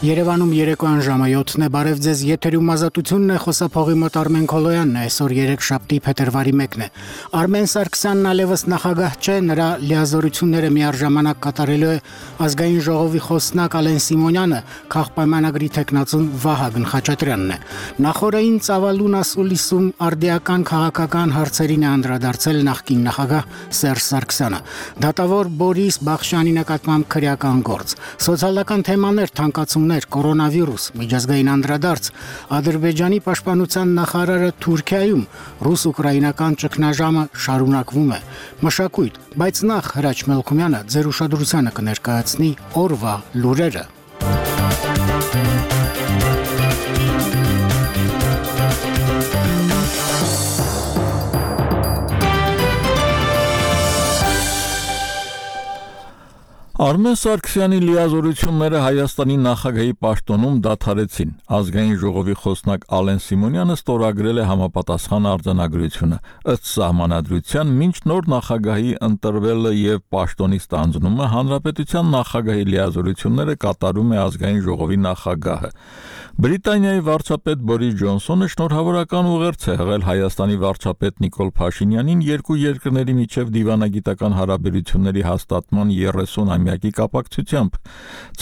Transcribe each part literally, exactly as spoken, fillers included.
Երևանում երեկոյան ժամը յոթն է, բարև ձեզ, եթերում ազատությունն է, խոսափողի մոտ Արմեն Քոլոյանն է, այսօր երեքշաբթի փետրվարի մեկն է։ Արմեն Սարգսյանն այլևս նախագահ չէ, նրա լիազորությունները միառժամանակ կատարելու է ազգային ժողովի խոսնակ Ալեն Սիմոնյանը, քաղաքպայմանագրի թեկնածուն Վահագն Խաչատրյանն է։ Նախորդային ծավալուն ասուլիսում արդիական քաղաքական հարցերին է անդրադարձել նախկին նախագահ Սերժ Սարգսյանը։ Դատավոր Բորիս Բախշյանի նկատմամբ քրեական գործ, սոցիալական թեմաներ, թանկացումներ, կորոնավիրուս, միջազգային անդրադարձ, Ադրբեջանի պաշտպանության նախարարը Թուրքիայում, ռուս-ուկրաինական ճգնաժամը շարունակվում է, մշակույթ, բայց նախ Հրաչ Մելքումյանը ձեր ուշադրությանը կներկայացնի օրվա լուրերը։ Արմեն Սարգսյանի լիազորությունները Հայաստանի նախագահի պաշտոնում դադարեցին։ Ազգային ժողովի խոսնակ Ալեն Սիմոնյանը ստորագրել է համապատասխան արձանագրությունը։ Ըստ սահմանադրության, մինչ նոր նախագահի ընտրվելը եւ պաշտոնի ստանձնումը հանրապետության նախագահի լիազորությունները կատարում է ազգային ժողովի նախագահը։ Բրիտանիայի վարչապետ Բորիս Ջոնսոնը շնորհավորական ուղերձ է հղել Հայաստանի վարչապետ Նիկոլ Փաշինյանին երկու երկրների միջև դիվանագիտական հարաբերությունների հաստատման երեսունամյակի կապակցությամբ։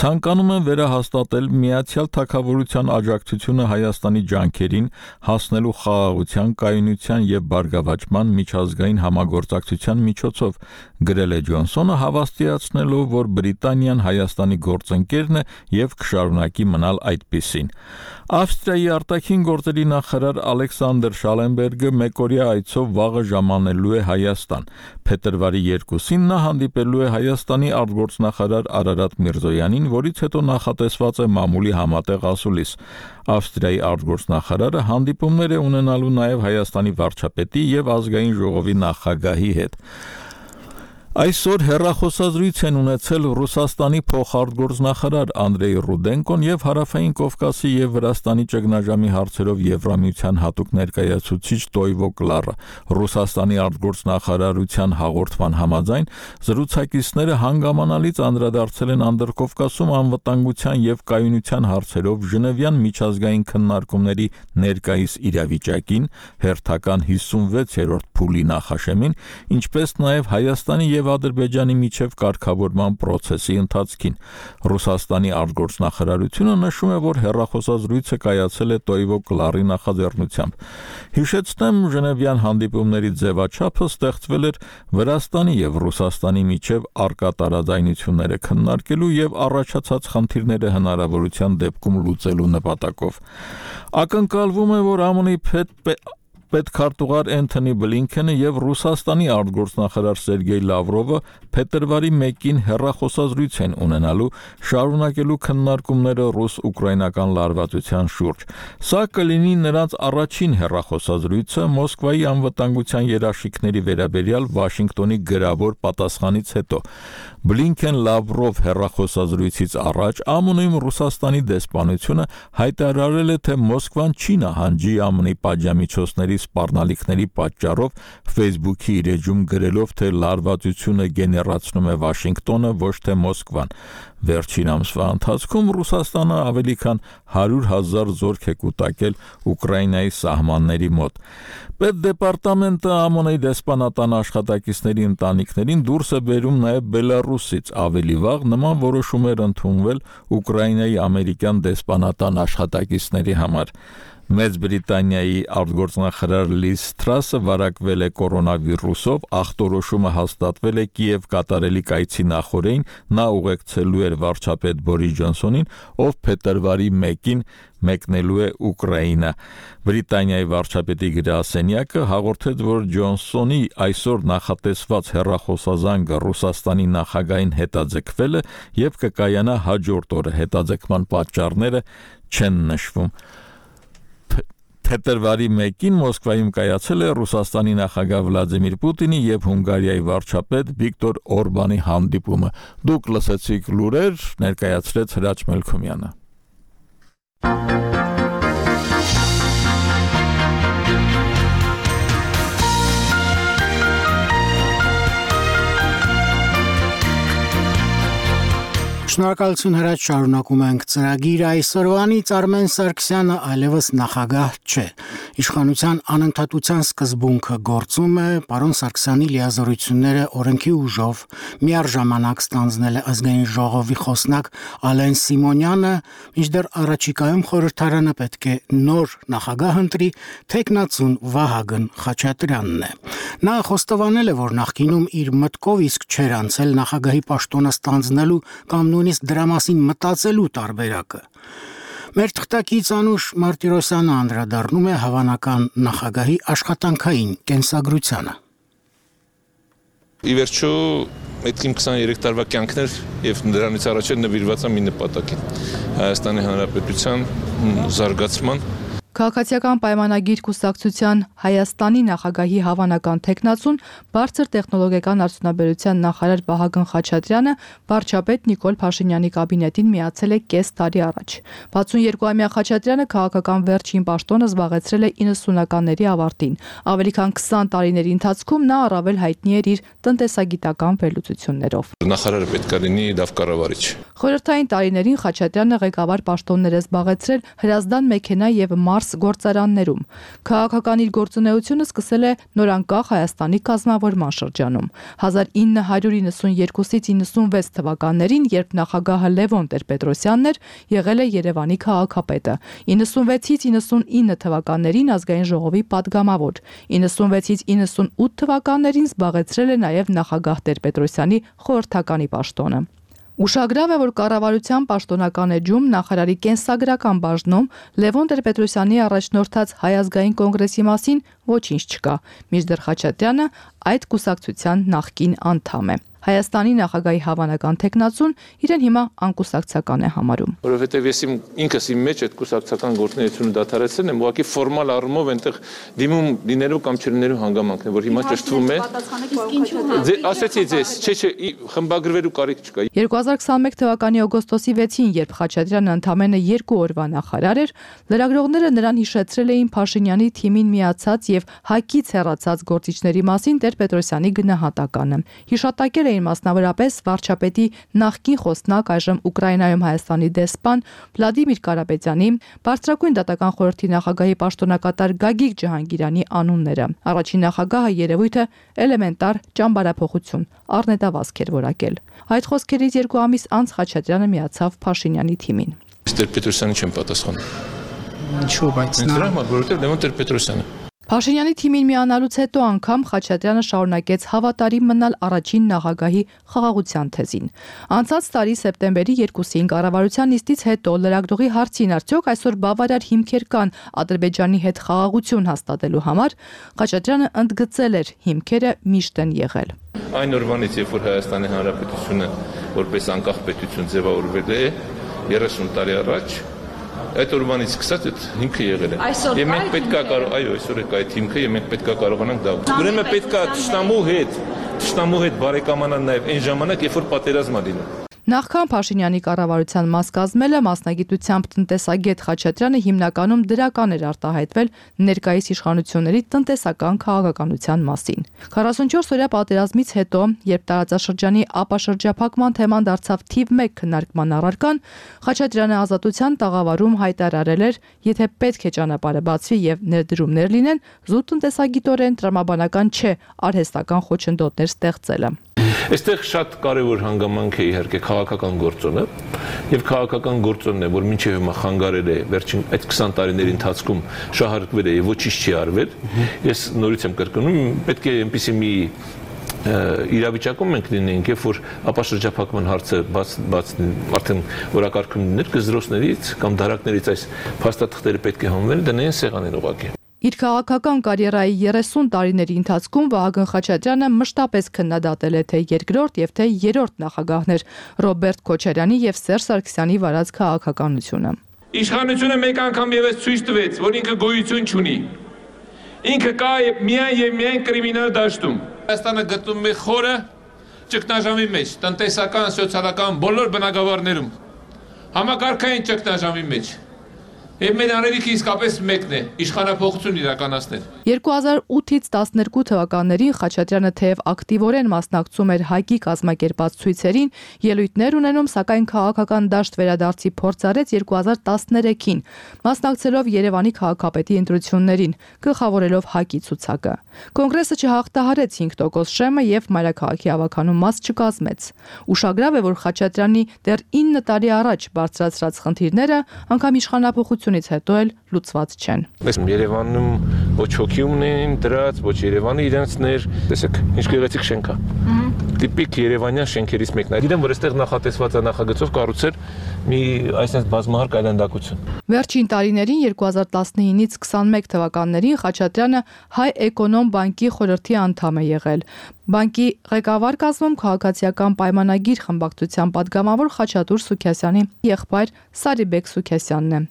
Ցանկանում են վերահաստատել Միացյալ Թագավորության աջակցությունը Հայաստանի ջանքերին հասնելու խաղաղության, կայունության եւ բարգավաճման միջազգային համագործակցության միջոցով, գրել է Ջոնսոնը, հավաստիացնելով, որ Բրիտանիան Հայաստանի գործընկերն է եւ կշարունակի մնալ այդպիսին։ Ավստրիայի արտաքին գործերի նախարար Ալեքսանդր Շալենբերգը մեկօրյա այցով վաղը ժամանելու է Հայաստան։ Փետրվարի երկուսին նա հանդիպելու է Հայաստանի արտգործնախարար Արարատ Միրզոյանին, որից հետո նախատեսված է մամուլի համատեղ ասուլիս։ Ավստրիայի արտգործնախարարը հանդիպումներ է ունենալու նաև Հայաստանի վարչապետի եւ ազգային ժողովի նախագահի հետ։ Այսօր հեռախոսազրույց են ունեցել Ռուսաստանի փոխարտգործնախարար Անդրեյ Ռուդենկոն եւ Հարավային Կովկասի եւ Վրաստանի ճգնաժամի հարցերով Եվրամիության հատուկ ներկայացուցիչ Տոյվո Կլարը։ Ռուսաստանի արտգործնախարարության հաղորդման համաձայն զրուցակիցները հանգամանալից անդրադարձել են Անդրկովկասում անվտանգության եւ կայունության հարցերով Ժնևյան միջազգային քննարկումների ներկայիս իրավիճակին, հերթական հիսունվեցերորդ փուլի նախաշեմին, ինչպես նաեւ Հայաստանի եւ Ադրբեջանի միջև կարգավորման process-ի ընթացքին։ Ռուսաստանի արտգործնախարարությունը նշում է, որ հեռախոսազրույցը կայացել է Տոյվո Կլարի նախաձեռնությամբ։ Հիշեցնեմ, Ժնևյան հանդիպումների ձևաչափը ստեղծվել էր Վրաստանի եւ Ռուսաստանի միջև առկա տարաձայնությունները քննարկելու եւ առաջացած խնդիրները հնարավորության դեպքում լուծելու նպատակով։ Ակնկալվում է, որ ԱՄՆ-ի պետքարտուղար Էնթոնի Բլինքենը եւ Ռուսաստանի արտգործնախարար Սերգեյ Լավրովը փետրվարի մեկին հեռախոսազրույց են ունենալու, շարունակելու քննարկումները ռուս-ուկրաինական լարվածության շուրջ։ Սա կլինի նրանց առաջին հեռախոսազրույցը Մոսկվայի անվտանգության երաշխիքների վերաբերյալ Վաշինգտոնի գրավոր պատասխանից հետո։ Բլինքեն-Լավրով հեռախոսազրույցից առաջ ԱՄՆ-ում Ռուսաստանի դեսպանությունը հայտարարել է, թե Մոսկվան չի նահանջի ԱՄՆ-ի պատժամիջոցների սպառնալիքների պատճառով Facebook-ի իր էջում գրելով, թե լարվածությունը գեներացնում է Վաշինգտոնը, ոչ թե Մոսկվան։ Վերջին ամսվա ընթացքում Ռուսաստանը ավելի քան հարյուր հազար զորք է կուտակել Ուկրաինայի սահմանների մոտ։ Պետդեպարտամենտը ԱՄՆ-ի դեսպանատան աշխատակիցների ընտանիքներին դուրս է բերում նաև Բելարուսից։ Ավելի վաղ նման որոշում էր ընդունվել Ուկրաինայի ամերիկյան դեսպանատան աշխատակիցների համար։ Մեծ Բրիտանիայի արտգործնախարար Լիզ Թրասը վարակվել է կորոնավիրուսով, ախտորոշումը հաստատվել է Կիև կատարելի կայցի նախօրեին, նա ուղեկցելու էր վարչապետ Բորիս Ջոնսոնին, ով փետրվարի մեկին մեկնելու է Ուկրաինա։ Բրիտանիայի վարչապետի գրասենյակը հաղորդեց, որ Ջոնսոնի այսօր նախատեսված հեռախոսազանգը Ռուսաստանի նախագահին հետաձգվել է եւ կկայանա հաջորդ օրը, հետաձգման պատճառները չեն նշվում։ Փետրվարի մեկին Մոսկվայում կայացել է Ռուսաստանի նախագահ Վլադիմիր Պուտինի եւ Հունգարիայի վարչապետ Վիկտոր Օրբանի հանդիպումը։ Դուք լսեցիք լուրեր, ներկայացրեց Հրաչ Մելքումյանը։ Շնորհակալություն հրաչ, շարունակում ենք ծրագիրը այսօրվանից Արմեն Սարգսյանը այլևս նախագահ չէ։ Իշխանության անընդհատության սկզբունքը գործում է, պարոն Սարգսյանի լիազորությունները օրենքի ուժով միառժամանակ ստանձնել է ազգային ժողովի խոսնակ Ալեն Սիմոնյանը, մինչդեռ առաջիկայում խորհրդարանը պետք է նոր նախագահ ընտրի, թեկնածուն Վահագն Խաչատրյանն է։ Նա խոստովանել է, որ նախկինում իր մտքով իսկ չէր անցել նախագահի պաշտոնը ստանձնելու կամ նույնիսկ դրա մասին մտածելու տարբերակը։ Մեր թղթակից Անուշ Մարտիրոսյանը անդրադառնում է հավանական նախագահի աշխատանքային կենսագրությանը։ Ի վերջո այդ իմ քսաներեք տարվա կյանքն էր եւ դրանից առաջ նվիրված եմ մի նպատակին՝ Հայաստանի Հանրապետության զարգացման։ Քաղաքացիական պայմանագիր կուսակցության Հայաստանի նախագահի հավանական թեկնածուն բարձր տեխնոլոգիական արդյունաբերության նախարար Վահագն Խաչատրյանը վարչապետ Նիկոլ Փաշինյանի կաբինետին միացել է կես տարի առաջ։ վաթսունյոթամյա Խաչատրյանը քաղաքական վերջին պաշտոնը զբաղեցրել է իննսունականների ավարտին։ Ավելի քան քսան տարիների ընթացքում նա առավել հայտնի էր իր տնտեսագիտական վերլուծություններով։ Նախարարը պետք է լինի լավ կառավարիչ։ Խորհրդային տարիներին Խաչատրյանը ղեկավար պաշտոններ է զբաղեցրել Հրազդան մեքենա եւ Մարս գործարաններում։ Քաղաքական իր գործունեությունը սկսել է նորանկախ Հայաստանի կազմավորման շրջանում։ հազար ինը հարյուր իննսունյոթից իննսունվեց թվականներին, երբ նախագահը Լևոն Տեր-Պետրոսյանն էր, եղել է Երևանի քաղաքապետը։ իննսունվեցից իննսունինը թվականներին ազգային ժողովի падգամավոր։ իննսունվեցից իննսունութ թվականներին զբաղեցրել է նաև նախագահ Տեր-Պետրոսյանի խորհրդականի պաշտոնը։ Ուշագրավ է, որ կառավարության պաշտոնական էջում նախարարի կենսագրական բաժնում Լևոն Տեր-Պետրոսյանի առաջնորդած Հայ ազգային կոնգրեսի մասին ոչինչ չկա, մինչդեռ Խաչատրյանը այդ կուսակցության նախկին անդամ է։ Հայաստանի նախագահի հավանական թեկնածուն իրեն հիմա անկուսակցական է համարում։ Որովհետև ես իմ ինքս իմ մեջ այդ կուսակցական գործունեությունը դադարեցրել եմ, ուղղակի ֆորմալ առումով այնտեղ դիմում լինելու կամ չլինելու հանգամանքն է, որ հիմա ճշտվում է։ Ասեցի ձեզ, չէ, չէ, խմբագրվելու կարիք չկա։ երկու հազար քսաներեք թվականի օգոստոսի վեցին, երբ Խաչատրյանը ընդամենը երկու օրվա նախարար էր, լրագրողները նրան հիշեցրել էին Փաշինյանի թիմին միացած եւ ՀԱԿ-ից հեռացած գործիչների մասին Տեր-Պետրոսյանի գնահատականը։ Հիշատակել էին մասնավորապես վարչապետի նախկին խոսնակ, այժմ Ուկրաինայում Հայաստանի դեսպան Վլադիմիր Կարապետյանի, բարձրագույն դատական խորհրդի նախագահի պաշտոնակատար Գագիկ Ջահանգիրյանի անունները։ Առաջին նախագահը երևույթը էլեմենտար ճամբարափոխություն, առնետավազք էր որակել։ Այդ խոսքերից երկու ամիս անց Խաչատրյանը միացավ Փաշինյանի թիմին։ Տեր-Պետրոսյանի չեմ պատասխանում։ Ինչու՞ բայց նա, որովհետև Լևոն Տեր-Պետրոսյանը։ Փաշինյանի թիմին միանալուց հետո անգամ Խաչատրյանը շարունակեց հավատարիմ մնալ առաջին նախագահի խաղաղության թեզին։ Անցած տարի սեպտեմբերի երկուսին կառավարության նիստից հետո լրագրողի հարցին արդյոք այսօր բավարար հիմքեր կան Ադրբեջանի հետ խաղաղություն հաստատելու համար, Խաչատրյանը ընդգծել էր՝ հիմքերը միշտ են եղել։ Այն օրվանից, երբ որ Հայաստանի Հանրապետությունը որպես անկախ պետություն ձևավորվել է երեսուն տարի առաջ, այդ օրվանից սկսած այդ հիմքը եղել է։ Եվ մենք պետք է կարող, այո, այսօր է այդ հիմքը եւ մենք պետք է կարողանանք դա։ Ուրեմն պետք է ճշտամու հետ, ճշտամու հետ բարեկամանալ նաեւ այն ժամանակ, երբ որ պատերազմ է լինում։ Նախքան Փաշինյանի կառավարության մաս կազմելը մասնագիտությամբ տնտեսագետ Խաչատրյանը հիմնականում դրական էր արտահայտվել ներկայիս իշխանությունների տնտեսական քաղաքականության մասին։ քառասունչորս օրյա պատերազմից հետո, երբ տարածաշրջանի ապաշրջափակման թեման դարձավ թիվ մեկ քննարկման առարկան, Խաչատրյանը ազատության տաղավարում հայտարարել էր, եթե պետք է ճանապարհը բացվի եւ ներդրումներ լինեն, զուտ տնտեսագիտորեն տրամաբանական չէ արհեստական խոչընդոտներ ստեղծելը։ Այստեղ շատ կարևոր հանգամանք է իհարկե քաղաքական գործոնը եւ քաղաքական գործոնն է, որ մինչեւ հիմա խանգարել է վերջին այդ քսան տարիների ընթացքում շահարկվել է եւ ոչինչ չի արվել։ Ես նորից եմ կրկնում, պետք է այնպեսի մի իրավիճակում մենք լինենք, երբ որ ապաշրջափակման հարցը բաց բաց արդեն օրակարգում լիներ, գզրոցներից կամ դարակներից այս փաստաթղթերը պետք է հանվեն, դնեն սեղանին ուղղակի։ Իր քաղաքական կարիերայի երեսուն տարիների ընթացքում Վահագն Խաչատրյանը մշտապես քննադատել է թե երկրորդ եւ թե երրորդ նախագահներ Ռոբերտ Քոչարյանի եւ Սերժ Սարգսյանի վարած քաղաքականությունը։ Իշխանությունը մեկ անգամ եւս ցույց տվեց, որ ինքը գոյություն չունի։ Ինքը կա միայն եւ միայն կրիմինալ դաշտում։ Հայաստանը գտնվում է խորը ճգնաժամի մեջ, տնտեսական, սոցիալական բոլոր բնագավառներում։ Համակարգային ճգնաժամի մեջ։ Եվ մեր անելիքը իսկապես մեկն է՝ իշխանափոխություն իրականացնել։ երկու հազար ութից տասներկու թվականներին Խաչատրյանը թեև ակտիվորեն մասնակցում էր ՀԱԿ-ի կազմակերպած ցույցերին, ելույթներ ունենում, սակայն քաղաքական դաշտ վերադարձի փորձ արեց երկու հազար տասներեքին, մասնակցելով Երևանի քաղաքապետի ընտրություններին, գլխավորելով ՀԱԿ-ի ցուցակը։ Կոնգրեսը չհաղթահարեց հինգ տոկոս շեմը եւ մայրաքաղաքի ավականու մաս չկազմեց։ Ուշագրավ է, որ Խաչատրյանի դեռ ինը տարի առաջ բարձրացրած խնդիրները անգամ իշխանափոխությունից հետո էլ լուծված չեն։ Երևանում ոչ հոգի ունեն դրած, ոչ Երևանը իրենցն էր, տեսեք, ինչ գեղեցիկ շենք է։ Տիպիկ երևանյան շենքերից մեկն է։ Գիտեմ, որ այստեղ նախատեսված է նախագծով կառուցել մի այսպես բազմահարկ այլանդակություն։ Վերջին տարիներին երկու հազար տասնինից քսանմեկ թվականներին Խաչատրյանը Հայ Էկոնոմ բանկի խորհրդի անդամ է եղել։ Բանկի ղեկավար կազմում քաղաքացիական պայմանագիր խմբակցության падգամավոր Խաչատուր Սուքիասյանի եղբայր Սարիբեկ Սուքիասյանն է։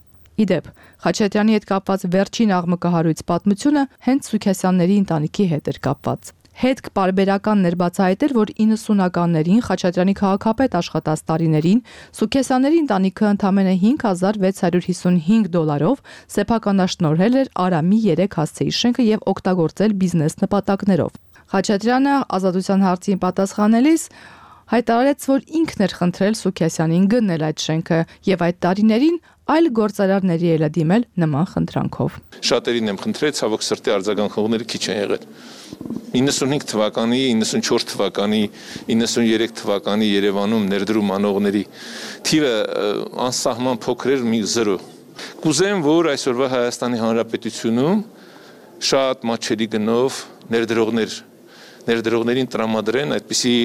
Իդեպ, Խաչատրյանի հետ կապված վերջին աղմկահարույց պատմությունը հենց Սուքիասյանների ընտանիքի հետ էր կապված։ Հետք պարբերականն էր բացահայտել, որ իննսունականներին Խաչատրյանի քաղաքապետ աշխատած տարիներին Սուքիասյանների ընտանիքը ընդամենը հինգ հազար վեց հարյուր հիսունհինգ դոլարով սեփականաշնորհել էր Արամի երեք հասցեի շենքը եւ օգտագործել բիզնես նպատակներով։ Խաչատրյանը ազատության հարցին պատասխանելիս հայտարարեց, որ ինքն էր խնդրել Սուքիասյանին գնել այդ շենքը եւ այդ տարիներին այլ գործարարների էլ դիմել նման խնդրանքով։ Շատերին եմ խնդրել, ցավոք սրտի արձագանքողները քիչ են եղել։ իննսունհինգ թվականի, իննսունչորս թվականի, իննսուներեք թվականի Երևանում ներդրում անողների թիվը անսահման փոքր էր, մի զրո։ Կուզեմ, որ այսօրվա Հայաստանի Հանրապետությունում շատ մատչելի գնով ներդրողներ ներդրողներին տրամադրեն այդպիսի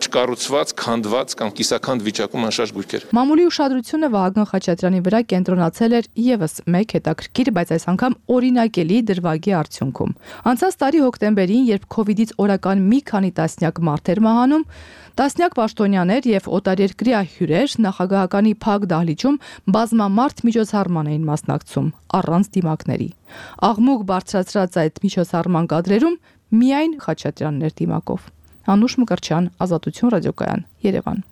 չկառուցված, քանդված կամ կիսաքանդ վիճակում անշարժ գույքեր։ Մամուլի ուշադրությունը Վահագն Խաչատրյանի վրա կենտրոնացել էր եւս մեկ հետաքրքիր, բայց այս անգամ օրինակելի դրվագի արդյունքում։ Անցած տարի հոկտեմբերին, երբ քովիդից օրական մի քանի տասնյակ մարդ էր մահանում, տասնյակ պաշտոնյաներ եւ օտարերկրյա հյուրեր նախագահականի փակ դահլիճում բազմամարդ միջոցառման էին մասնակցում առանց դիմակների։ Աղմուկ բարձրացրած այդ միջոցառման կադրերում միայն Խաչատրյանն էր դիմակով։ Անուշ Մկրտչյան, Ազատություն ռադիոկայան, Երևան։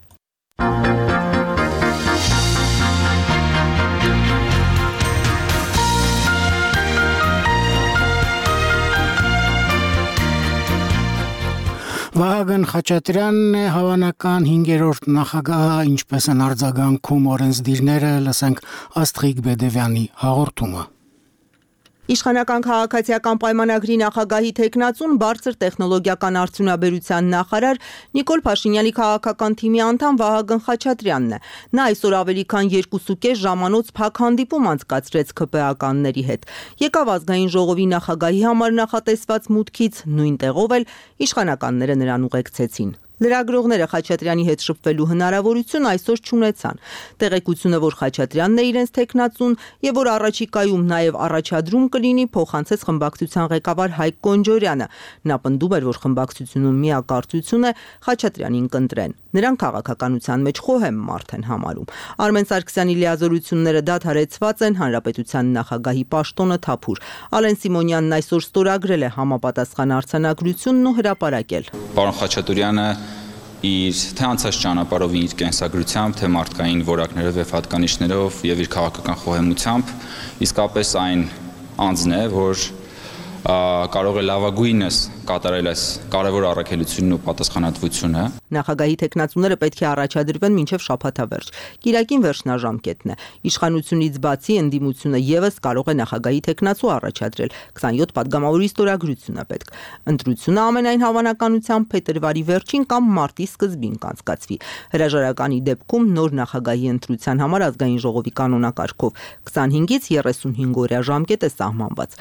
Վահագն Խաչատրյանն է հավանական հինգերորդ նախագահը, ինչպես են արձագանքում օրենսդիրները, լսենք Աստղիկ Բեդևյանի հաղորդումը։ Իշխանական քաղաքացիական պայմանագրի նախագահի թեկնածուն բարձր տեխնոլոգիական արդյունաբերության նախարար Նիկոլ Փաշինյանի քաղաքական թիմի անդամ Վահագն Խաչատրյանն է։ Նա այսօր ավելի քան երկուսուկես ժամանոց փակ հանդիպում անցկացրեց ՔՊԱ-կանների հետ։ Եկավ ազգային ժողովի նախագահի համար նախատեսված մուտքից, նույն տեղով էլ իշխանականները նրան ուղեկցեցին։ Լրագրողները Խաչատրյանի հետ շփվելու հնարավորություն այսօր չունեցան։ Տեղեկությունը, որ Խաչատրյանն է իրենց թեկնածուն եւ որ առաջիկայում նաեւ առաջադրում կլինի, փոխանցեց խմբակցության ղեկավար Հայկ Կոնջորյանը։ Նա պնդում էր, որ խմբակցությունում միակարծություն է Խաչատրյանին կընտրեն։ Նրանք քաղաքականության մեջ խոհեմ մարդ են համարում։ Արմեն Սարգսյանի լիազորությունները դադարեցված են, հանրապետության նախագահի պաշտոնը թափուր։ Ալեն Սիմոնյանն այսօր ստորագրել է համապատասխան արձանագրությունն ու հրապարակել։ Պարոն Խաչատուրյանը իր թե անցած ճանապարհով իր կենսագրությամբ, թե մարդկային որակներով եւ հատկանիշներով եւ իր քաղաքական խոհեմությամբ իսկապես այն անձն է, որ կարող է լավագույնս կատարել այս կարևոր առաքելությունն ու պատասխանատվությունը։ Նախագահի թեկնածուները պետք է առաջադրվեն մինչև շաբաթավերջ։ Կիրակին վերջնաժամկետն է։ Իշխանությունից բացի ընդդիմությունը եւս կարող է նախագահի թեկնածու առաջադրել։ քսանյոթ պատգամավորի ստորագրություն է պետք։ Ընտրությունը ամենայն հավանականությամբ փետրվարի վերջին կամ մարտի սկզբին կանցկացվի։ Հրաժարականի դեպքում նոր նախագահի ընտրության համար ազգային ժողովի կանոնակարգով քսանհինգից երեսունհինգ օրյա ժամկետ է սահմանված։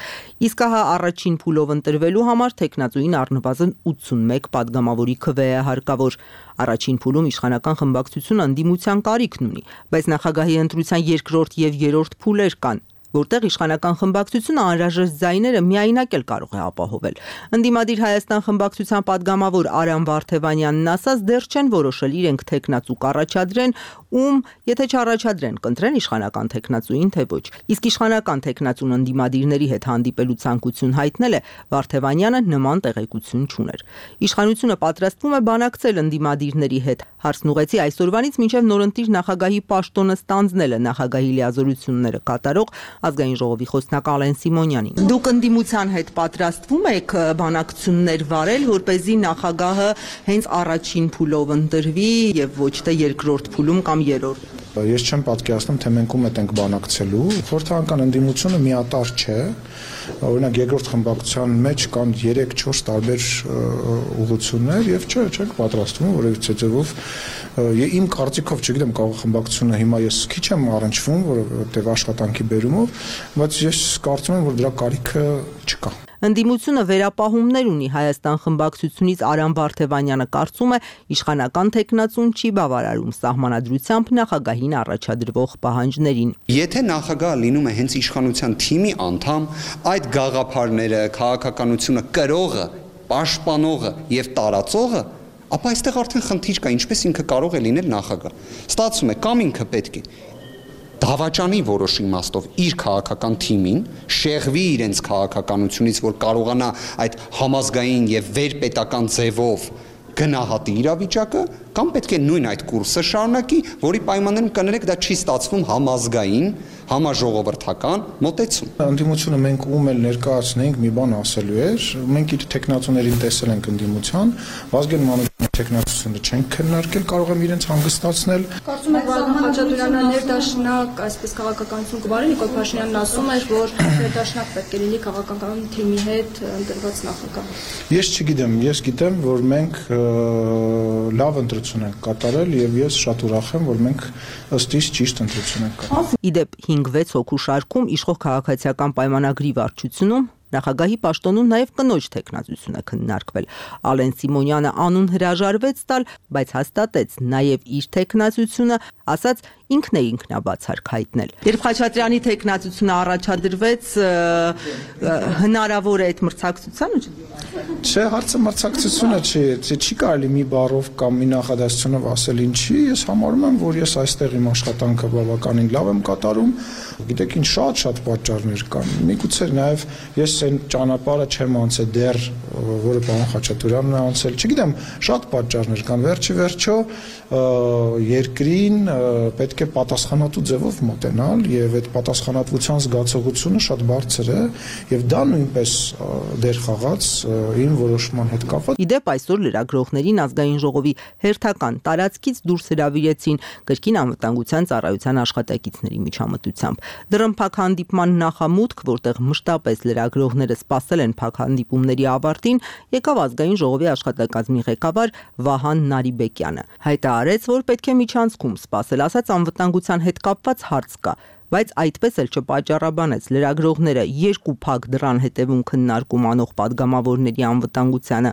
Իսկ հա առաջին փուլով ընտրվելու համար թեկնածուին առնվազն ութսունմեկ պատգամավորի քվե է հարկավոր։ Առաջին փուլում իշխանական խմբակցությունը ընդդիմության կարիքն ունի, բայց նախագահի ընտրության երկրորդ եւ երրորդ փուլեր կան։ որտեղ իշխանական խմբակցությունը անհրաժեշտ ձայները միայնակ էլ կարող է ապահովել։ Ընդդիմադիր Հայաստան խմբակցության падգամավոր Արամ Վարդևանյանն ասաց, դեռ չեն որոշել իրենք թեկնածու կառաջադրեն, ում եթե չառաջադրեն, կընտրեն իշխանական թեկնածուին, թե ոչ։ Իսկ իշխանական թեկնածուն ընդդիմադիրների հետ հանդիպելու ցանկություն հայտնել է Վարդևանյանը նման տեղեկություն չուներ։ Իշխանությունը պատրաստվում է բանակցել ընդդիմադիրների հետ։ Հարցն ուղեցի այսօրվանից մինչև նորընտիր նախագահի պաշտոնը ստանձնելը նախագահի լիազորությունները կատարող ազգային ժողովի խոսնակ Ալեն Սիմոնյանին։ Դուք ընդդիմության հետ պատրաստվում եք բանակցություններ վարել, որպեսզի նախագահը հենց առաջին փուլով ընտրվի եւ ոչ թե երկրորդ փուլում կամ երրորդ։ Ես չեմ պատկերացնում, թե մենք ում ենք բանակցելու։ Խորհրդարանական ընդդիմությունը միատար չէ։ Օրինակ երկրորդ խմբակցության մեջ կան երեք-չորս տարբեր ուղղություններ եւ չէ, չենք պատրաստվում որևիցե ձևով իմ կարծիքով, չգիտեմ, կարող խմբակցությունը հիմա ես քիչ եմ առնչվում, որովհետեւ աշխատանքի բերումով, բայց ես կարծում եմ, որ դրա կարիքը չկա։ Ընդդիմությունը վերապահումներ ունի Հայաստան խմբակցությունից Արամ Վարդևանյանը կարծում է իշխանական թեկնածուն չի բավարարում սահմանադրությամբ նախագահին առաջադրվող պահանջներին։ Եթե նախագահը լինում է հենց իշխանության թիմի անդամ, այդ գաղափարները, քաղաքականությունը կրողը, պաշտպանողը եւ տարածողը, ապա այստեղ արդեն խնդիր կա, ինչպես ինքը կարող է լինել նախագահ։ Ստացվում է կամ ինքը պետք է դավաճանի որոշ իմաստով իր քաղաքական թիմին, շեղվի իրենց քաղաքականությունից, որ կարողանա այդ համազգային եւ վերպետական ձևով գնահատի իրավիճակը, կամ պետք է նույն այդ կուրսը շարունակի, որի պայմաններում կներեք դա չի ստացվում համազգային, համաժողովրդական մոտեցում։ Ընդդիմությունը մենք ում էլ ներկայացնենք մի բան ասելու էր, մենք իր տեխնացուներին տեսել ենք ընդդիմության, Վազգեն Մանուկյանի տեխնացությունը չենք քննարկել, կարող եմ իրենց հանգստացնել։ Կարծում եք Վազգեն Խաչատրյանը ներդաշնակ, այսպես քաղաքականություն կվարի, Նիկոլ Փաշինյանն ասում էր, որ ներդաշնակ պետք է լինի քաղաքական թիմի հետ ընտրված նախագահ։ Ես չգիտեմ, ես գիտեմ, որ մենք լավ ընտրություն ենք կատարել եւ ես շատ ուրախ եմ, որ մենք ըստ իս ճիշտ ընտրություն ենք կատարել։ Իդեպ հինգ-վեց հոգու շարքում իշխող քաղաքացիական պայմանագրի վարչությունում նախագահի պաշտոնում նաև կնոջ թեկնածությունը քննարկվել։ Ալեն Սիմոնյանը անուն հրաժարվեց տալ, բայց հաստատեց նաև իր թեկնածությունը, ասաց ինքն է ինքնաբացարկ հայտնել։ Երբ Խաչատրյանի թեկնածությունը առաջադրվեց, հնարավոր է այդ մրցակցությանը։ Չէ, հարցը մրցակցությունը չի, չի կարելի մի բառով կամ մի նախադասությունով ասել ինչի, ես համարում եմ, որ ես այստեղ իմ աշխատանքը բավականին լավ եմ կատարում, գիտեք ինչ շատ-շատ պատճառներ կան։ Միգուցե նաև ես այն ճանապարհը չեմ անցել դեռ, որը պարոն Խաչատրյանն է անցել, չգիտեմ, շատ պատճառներ կան, վերջի վերջո երկրին պետք է պատասխանատու ձևով մոտենալ եւ այդ պատասխանատվության զգացողությունը շատ բարձր է եւ դա նույնպես դեր խաղաց իմ որոշման հետ կապված։ Իդեպ այսօր լրագրողներին ազգային ժողովի հերթական տարածքից դուրս հրավիրեցին կրկին անվտանգության ծառայության աշխատակիցների միջամտությամբ։ Դրըմփակ հանդիպման նախամուտք, որտեղ մշտապես լրագրողները սպասել են փակ հանդիպումների ավարտին, եկավ ազգային ժողովի աշխատակազմի ղեկավար Վահան Նարիբեկյանը։ Հայտարարեց, որ պետք է միջանցքում սպասել, ասաց անվտանգության հետ կապված հարց կա, բայց այդպես էլ չպատճառաբանեց լրագրողները երկու փակ դռան հետևում քննարկում անող падգամավորների անվտանգությանը,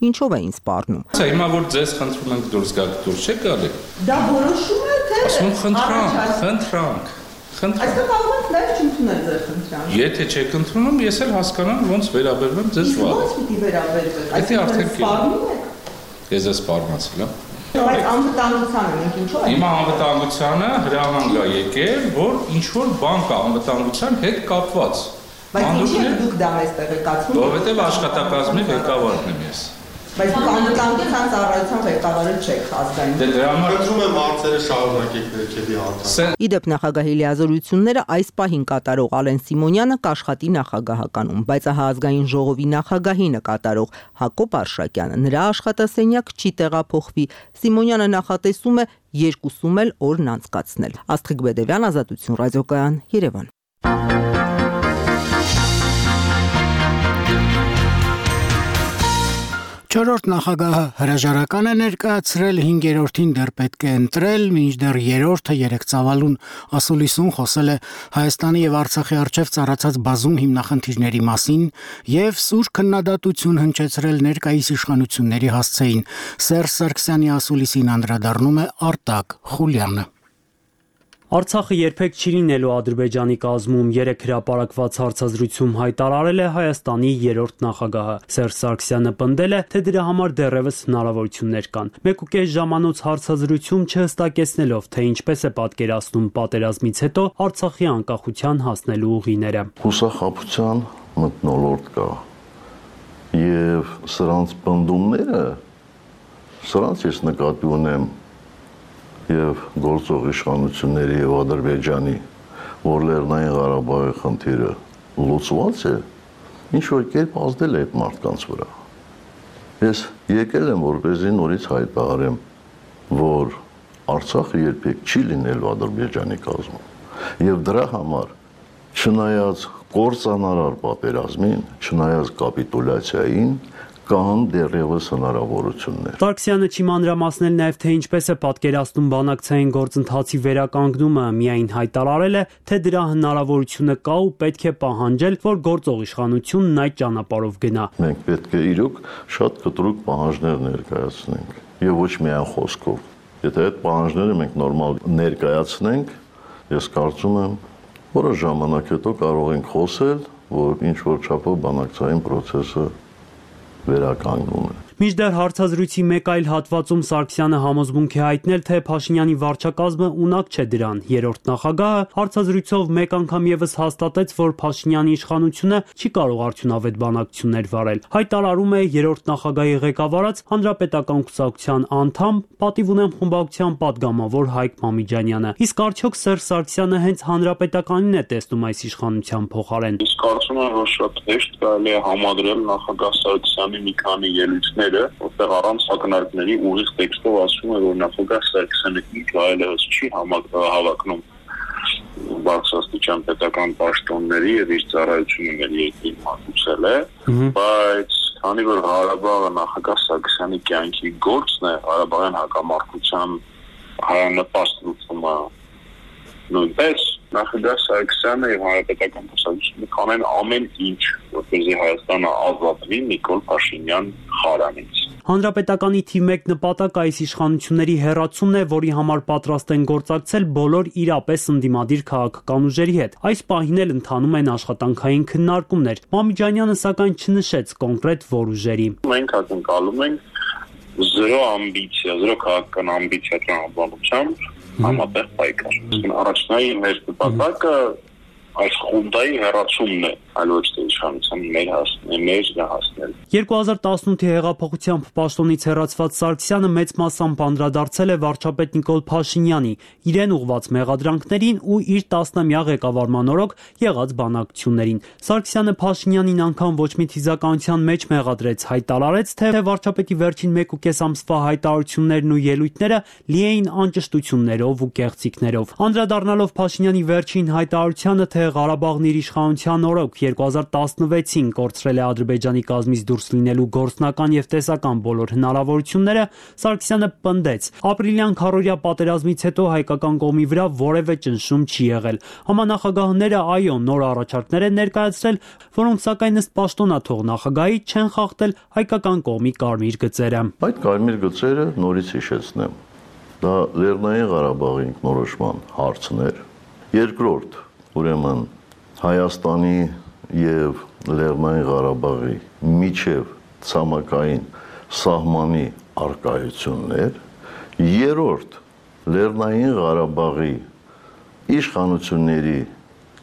ինչով էին սպառնում։ Սա հիմա որ ձեզ խնդրում ենք դուրս գաք, դուրս չեք գալի։ Դա որոշում է թե ասում խնդրանք, խնդրանք։ Այստեղ կարող եք նաև չընդունել ձեր խնդրանքը։ Եթե չեք ընդունում, ես էլ հասկանամ ոնց վերաբերվեմ ձեզ վաղ։ Ոնց պիտի վերաբերվեք։ Այդի արդեն սպառնում եք։ Ես ես սպառնացել եմ։ Բայց անվտանգությանը մենք ինչու՞ ենք։ Հիմա անվտանգությանը հրահանգ է եկել, որ ինչ որ բան կա անվտանգության հետ կապված։ Բայց ինչի՞ դուք դա մեզ տեղեկացնում։ Որովհետև աշխատակազմի ղեկավարն եմ ես։ Բայց դուք անվտանգության ծառայության ղեկավարը չեք ազգային։ Դե դրա համար խնդրում եմ հարցերը շարունակեք ներքևի հարցը։ Իդեպ նախագահի լիազորությունները այս պահին կատարող Ալեն Սիմոնյանը կաշխատի նախագահականում, բայց ահա ազգային ժողովի նախագահի նկատառող Հակոբ Արշակյանը նրա աշխատասենյակ չի տեղափոխվի։ Սիմոնյանը նախատեսում է երկուսում էլ օրն անցկացնել։ Աստղիկ Բեդևյան, Ազատություն ռադիոկայան, Երևան։ Չորրորդ նախագահը հրաժարական է ներկայացրել, հինգերորդին դեռ պետք է ընտրել, մինչդեռ երրորդը երեք ծավալուն ասուլիսում խոսել է Հայաստանի եւ Արցախի առջև ծառացած բազում հիմնախնդիրների մասին եւ սուր քննադատություն հնչեցրել ներկայիս իշխանությունների հասցեին։ Սերժ Սարգսյանի ասուլիսին անդրադառնում է Արտակ Խուլյանը։ Արցախը երբեք չի լինելու Ադրբեջանի կազմում, երեք հրապարակված հարցազրույցում հայտարարել է Հայաստանի երրորդ նախագահը։ Սերժ Սարգսյանը պնդել է, թե դրա համար դեռևս հնարավորություններ կան։ Մեկուկես ժամանոց հարցազրույցում չհստակեցնելով, թե ինչպես է պատկերացնում պատերազմից հետո Արցախի անկախության հասնելու ուղիները։ Հուսախաբության մթնոլորտ կա եւ սրանց պնդումները, սրանց ես նկատի ունեմ եւ գործող իշխանությունների եւ Ադրբեջանի, որ Լեռնային Ղարաբաղի խնդիրը լուծված է, ինչ որ կերպ ազդել է այդ մարդկանց վրա։ Ես եկել եմ որպեսզի նորից հայտարարեմ, որ Արցախը երբեք չի լինելու Ադրբեջանի կազմում եւ դրա համար չնայած կործանարար պատերազմին, չնայած կապիտուլյացիային, կան դեռևս հնարավորություններ։ Սարգսյանը չի մանրամասնել նաև, թե ինչպես է պատկերացնում բանակցային գործընթացի վերականգնումը, միայն հայտարարել է, թե դրա հնարավորությունը կա ու պետք է պահանջել, որ գործող իշխանությունն այդ ճանապարհով գնա։ Մենք պետք է իրոք շատ կտրուկ պահանջներ ներկայացնենք եւ ոչ միայն խոսքով։ Եթե այդ պահանջները մենք նորմալ ներկայացնենք, ես կարծում եմ, որոշ ժամանակ հետո կարող ենք խոսել, որ ինչ որ չափով բանակցային process-ը վերականգնում է։ Մինչդեռ հարցազրույցի մեկ այլ հատվածում Սարգսյանը համոզմունք է հայտնել, թե Փաշինյանի վարչակազմը ունակ չէ դրան։ Երրորդ նախագահը հարցազրույցով մեկ անգամ եւս հաստատեց, որ Փաշինյանի իշխանությունը չի կարող արդյունավետ բանակցություններ վարել։ Հայտարարում է երրորդ նախագահի ղեկավարած Հանրապետական կուսակցության անդամ, պատիվ ունեմ խմբակցության падգամավոր Հայկ Մամիջանյանը։ Իսկ արդյոք Սերժ Սարգսյանը հենց Հանրապետականին է տեսնում այս իշխանության փոխարեն։ Իսկ կարծում եմ, որ շատ հեշտ կարելի է համադրել նախագահ Սարգսյանի մի քանի ելույթներ, որտեղ առանց ակնարկների ուղիղ տեքստով ասում է, որ նախագահ Սարգսյանը ինչ այլևս չի հավակնում բարձրաստիճան պետական պաշտոնների եւ իր ծառայությունների երկրին մատուցել է, բայց քանի որ Ղարաբաղը նախագահ Սարգսյանի կյանքի գործն է, Ղարաբաղյան հակամարտության հայանպաստ լուծումը նույնպես, նախագահ Սարգսյանը եւ Հանրապետական կուսակցությունը կանեն ամեն ինչ, որպեսզի Հայաստանը ազատվի Նիկոլ Փաշինյան խարանից։ Հանրապետականի թիվ մեկ նպատակը այս իշխանությունների հեռացումն է, որի համար պատրաստ են գործակցել բոլոր իրապես ընդդիմադիր քաղաքական ուժերի հետ։ Այս պահին էլ ընթանում են աշխատանքային քննարկումներ։ Մամիջանյանը սակայն չնշեց կոնկրետ որ ուժերի։ Մենք ակնկալում ենք զրո ամբիցիա, զրո քաղաքական ամբիցիա տրամաբանությամբ համատեղ պայքար։ Առաջնային մեր նպատակը այս խունդայի հեռացումն է, այլ ոչ թե իշխանության մեր հասնել, մեր հասնել։ երկու հազար տասնութի հեղափոխությամբ պաշտոնից հեռացված Սարգսյանը մեծ մասամբ անդրադարձել է վարչապետ Նիկոլ Փաշինյանի, իրեն ուղղված մեղադրանքներին ու իր տասնամյա ղեկավարման օրոք եղած բանակցություններին։ Սարգսյանը Փաշինյանին անգամ ոչ մի թիզականության մեջ մեղադրեց, հայտարարեց, թե վարչապետի վերջին մեկ ու կես ամսվա հայտարարություններն ու ելույթները լի էին անճշտություններով ու կեղծիքներով։ Անդրադառնալով Փաշինյանի վերջին հայտարարությանը, թե Ղարաբաղն իր իշխանության օրոք երկու հազար տասնվեցին կորցրել է Ադրբեջանի կազմից դուրս լինելու գործնական եւ տեսական բոլոր հնարավորությունները, Սարգսյանը պնդեց. ապրիլյան քառօրյա պատերազմից հետո հայկական կողմի վրա որևէ ճնշում չի եղել։ Համանախագահները այո նոր առաջարկներ են ներկայացրել, որոնք սակայն ըստ պաշտոնաթող նախագահի չեն խախտել հայկական կողմի կարմիր գծերը։ Այդ կարմիր գծերը նորից հիշեցնեմ։ Դա Լեռնային Ղարաբաղի ինքնորոշման հարցն էր։ Երկրորդ, ուրեմն Հայաստանի եւ Լեռնային Ղարաբաղի միջև ցամաքային սահմանի արկայություններ, երրորդ Լեռնային Ղարաբաղի իշխանությունների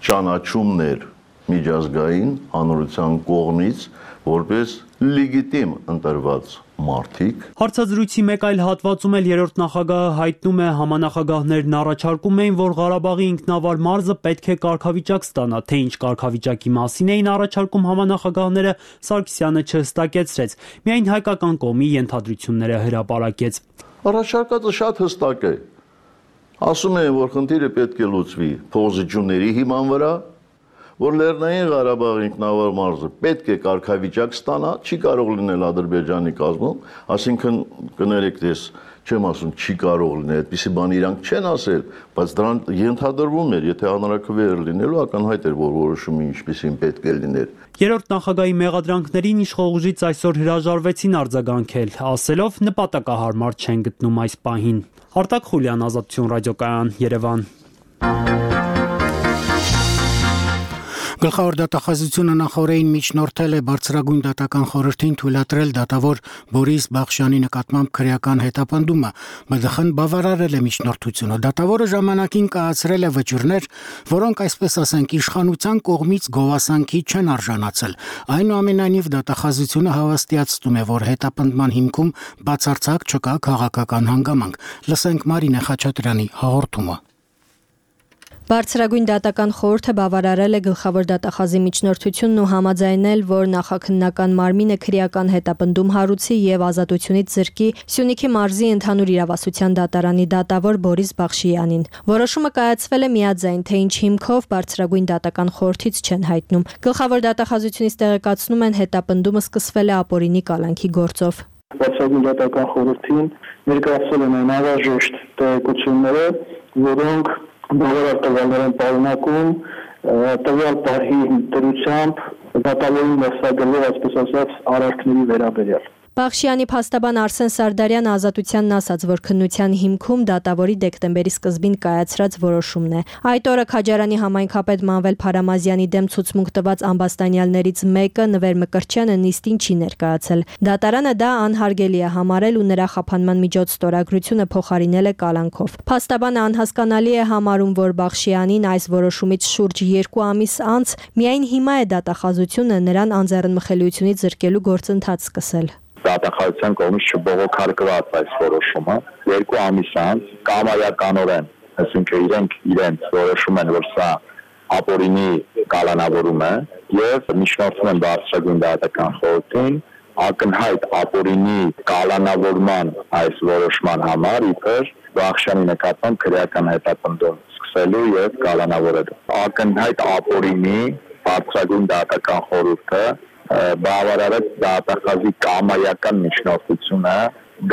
ճանաչումներ միջազգային հանրության կողմից որպես լեգիտիմ ընտրված մարդիկ։ Հարցազրույցի մեկ այլ հատվածում էլ երրորդ նախագահը հայտնում է համանախագահներն առաջարկում էին, որ Ղարաբաղի ինքնավար մարզը պետք է կարգավիճակ ստանա, թե ինչ կարգավիճակի մասին էին առաջարկում համանախագահները, Սարգսյանը չհստակեցրեց, միայն հայկական կողմի ենթադրությունները հրապարակեց։ Առաջարկածը շատ հստակ է։ Ասում են, որ խնդիրը պետք է լուծվի փոխզիջումների հիման վրա, որ Լեռնային Ղարաբաղի ինքնավար մարզը պետք է կարգավիճակ ստանա, չի կարող լինել Ադրբեջանի կազմում, այսինքն կներեք, ես չեմ ասում չի կարող լինել, այդպիսի բան իրանք չեն ասել, բայց դրան ենթադրվում էր, եթե հանրաքվեեր լինելու ակնհայտ էր, որ որոշումը ինչպիսին պետք է լիներ։ Երրորդ նախագահի մեղադրանքներին իշխող ուժից այսօր հրաժարվեցին արձագանքել, ասելով նպատակահարմար չեն գտնում այս պահին։ Արտակ Խուլյան, Ազատություն ռադիոկայան, Երևան։ Գլխավոր դատախազությունը նախորդին միջնորդել է բարձրագույն դատական խորհրդին թույլատրել դատավոր Բորիս Բախշյանի նկատմամբ քրեական հետապնդումը, ԲԴԽ-ն բավարարել է միջնորդությունը։ Դատավորը ժամանակին կայացրել է վճիռներ, որոնք այսպես ասենք իշխանության կողմից գովասանքի չեն արժանացել։ Այնուամենայնիվ դատախազությունը հավաստիացնում է, որ հետապնդման հիմքում բացարձակ չկա քաղաքական հանգամանք։ Լսենք Մարինե Խաչատրյանի հաղորդումը։ Բարձրագույն դատական խորհուրդը բավարարել է գլխավոր դատախազի միջնորդությունն ու համաձայնել, որ նախաքննական մարմինը քրեական հետապնդում հարուցի եւ ազատությունից զրկի Սյունիքի մարզի ընդհանուր իրավասության դատարանի դատավոր Բորիս Բախշյանին։ Որոշումը կայացվել է միաձայն, թե ինչ հիմքով բարձրագույն դատական խորհրդից չեն հայտնում։ Գլխավոր դատախազությունից տեղեկացնում են, հետապնդումը սկսվել է ապօրինի կալանքի գործով։ Բարձրագույն դատական խորհրդին ներկայացվել են անհրաժեշտ տեղեկությունները, որոնք բավարար տվյալներ են պարունակում, տվյալ պահի դրությամբ դատավորին ներսագրել, այսպես ասած, արարքների վերաբերյալ։ Բախշյանի փաստաբան Արսեն Սարդարյանը ազատությանն ասաց, որ քննության հիմքում դատավորի դեկտեմբերի սկզբին կայացրած որոշումն է։ Այդ օրը Քաջարանի համայնքապետ Մանվել Փարամազյանի դեմ ցուցմունք տված ամբաստանյալներից մեկը Նվեր Մկրտչյանը նիստին չի ներկայացել։ Դատարանը դա անհարգելի է համարել ու նրա խափանման միջոց ստորագրությունը փոխարինել է կալանքով։ Փաստաբանը անհասկանալի է համարում, որ Բախշյանին այս որոշումից շուրջ երկու ամիս անց միայն հիմա է դատախազությունը նրան անձեռնմխելիությունից զրկելու գործընթաց սկսել։ Դատախազության կողմից չբողոքարկված այս որոշումը երկու ամիս անց կամայականորեն, այսինքն իրենք իրենց որոշում են, որ սա ապօրինի կալանավորում է եւ միջնորդում են բարձրագույն դատական խորհրդին ակնհայտ ապօրինի կալանավորման այս որոշման համար իբր Բախշյանի նկատմամբ քրեական հետապնդում սկսելու եւ կալանավորելու։ Ակնհայտ ապօրինի բարձրագույն դատական խորհուրդը բավարարեց դատախազի կամայական միջնորդությունը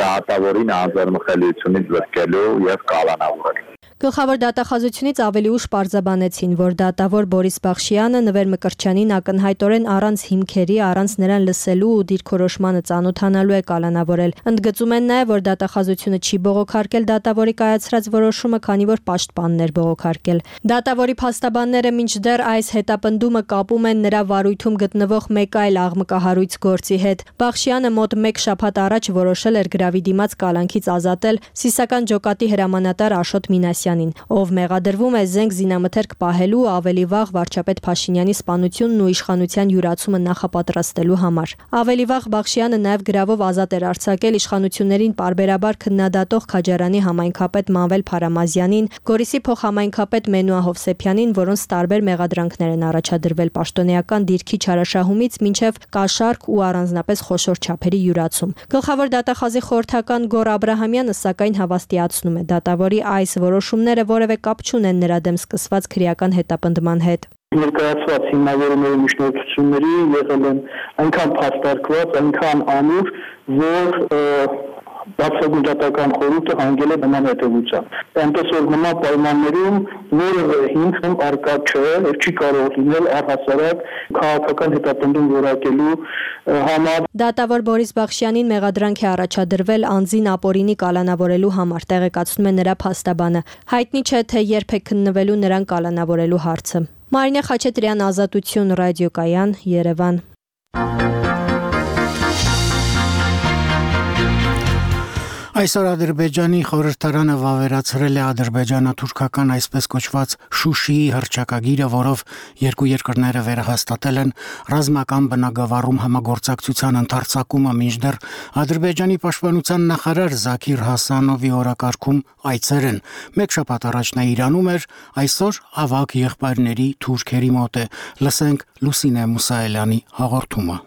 դատավորին անձեռնմխելիությունից զրկելու եւ կալանավորելու։ Գլխավոր դատախազությունից ավելի ուշ պարզաբանեցին, որ դատավոր Բորիս Բախշյանը Նվեր Մկրտչյանին ակնհայտորեն առանց հիմքերի, առանց նրան լսելու ու դիրքորոշմանը ծանոթանալու է կալանավորել։ Ընդգծում են նաև, որ դատախազությունը չի բողոքարկել դատավորի կայացրած որոշումը, քանի որ պաշտպանն էր բողոքարկել։ Դատավորի փաստաբանները մինչդեռ այս հետապնդումը կապում են նրա վարույթում գտնվող մեկ այլ աղմկահարույց գործի հետ։ Բախշյանը մոտ մեկ շաբաթ առաջ որոշել էր գրավի դիմաց կալանքից ազատել Սիսական ջոկատի հրամանատար Աշոտ Մինասյանին, ով մեղադրվում է զենք զինամթերք պահելու ու ավելի վաղ վարչապետ Փաշինյանի սպանությունն ու իշխանության յուրացումը նախապատրաստելու համար։ Ավելի վաղ Բախշյանը նաև գրավով ազատ էր արձակել իշխանություններին պարբերաբար քննադատող Քաջարանի համայնքապետ Մանվել Փարամազյանին, Գորիսի փոխհամայնքապետ Մենուա Հովսեփյանին, որոնց տարբեր մեղադրանքներ են առաջադրվել պաշտոնեական դիրքի չարաշահումից մինչև կաշառք ու առանձնապես խոշոր չափերի յուրացում։ Գլխավոր դատախազի խորհրդական Գոռ Աբրահամյանը սակայն հավաստիացնում է, դատավորի այս որոշումները որևէ կապ չունեն նրա դեմ սկսված քրեական հետապնդման հետ։ Ներկայացված հիմնավորումների միջնորդությունների եղել են այնքան փաստարկված, այնքան ամուր, որ բարձրագույն դատական խորհուրդը հանգել է նման հետևության։ Այնպես որ նման պայմաններում որևէ հիմք առկա չէ եւ չի կարող լինել առհասարակ քաղաքական հետապնդում որակելու համար։ Դատավոր Բորիս Բախշյանին մեղադրանք է առաջադրվել անձին ապօրինի կալանավորելու համար, տեղեկացնում է նրա փաստաբանը։ Հայտնի չէ, թե երբ է քննվելու նրան կալանավորելու հարցը։ Մարինե Խաչատրյան, Ազատություն, ռադիոկայան, Երևան։ Այսօր Ադրբեջանի խորհրդարանը վավերացրել է ադրբեջանա-թուրքական այսպես կոչված Շուշիի հռչակագիրը, որով երկու երկրները վերահաստատել են ռազմական բնագավառում համագործակցության ընդարձակումը, մինչդեռ Ադրբեջանի պաշտպանության նախարար Զաքիր Հասանովի օրակարգում այցեր են։ Մեկ շաբաթ առաջ նա Իրանում էր, այսօր ավագ եղբայրների թուրքերի մոտ է։ Լսենք Լուսինե Մուսայելյանի հաղորդումը։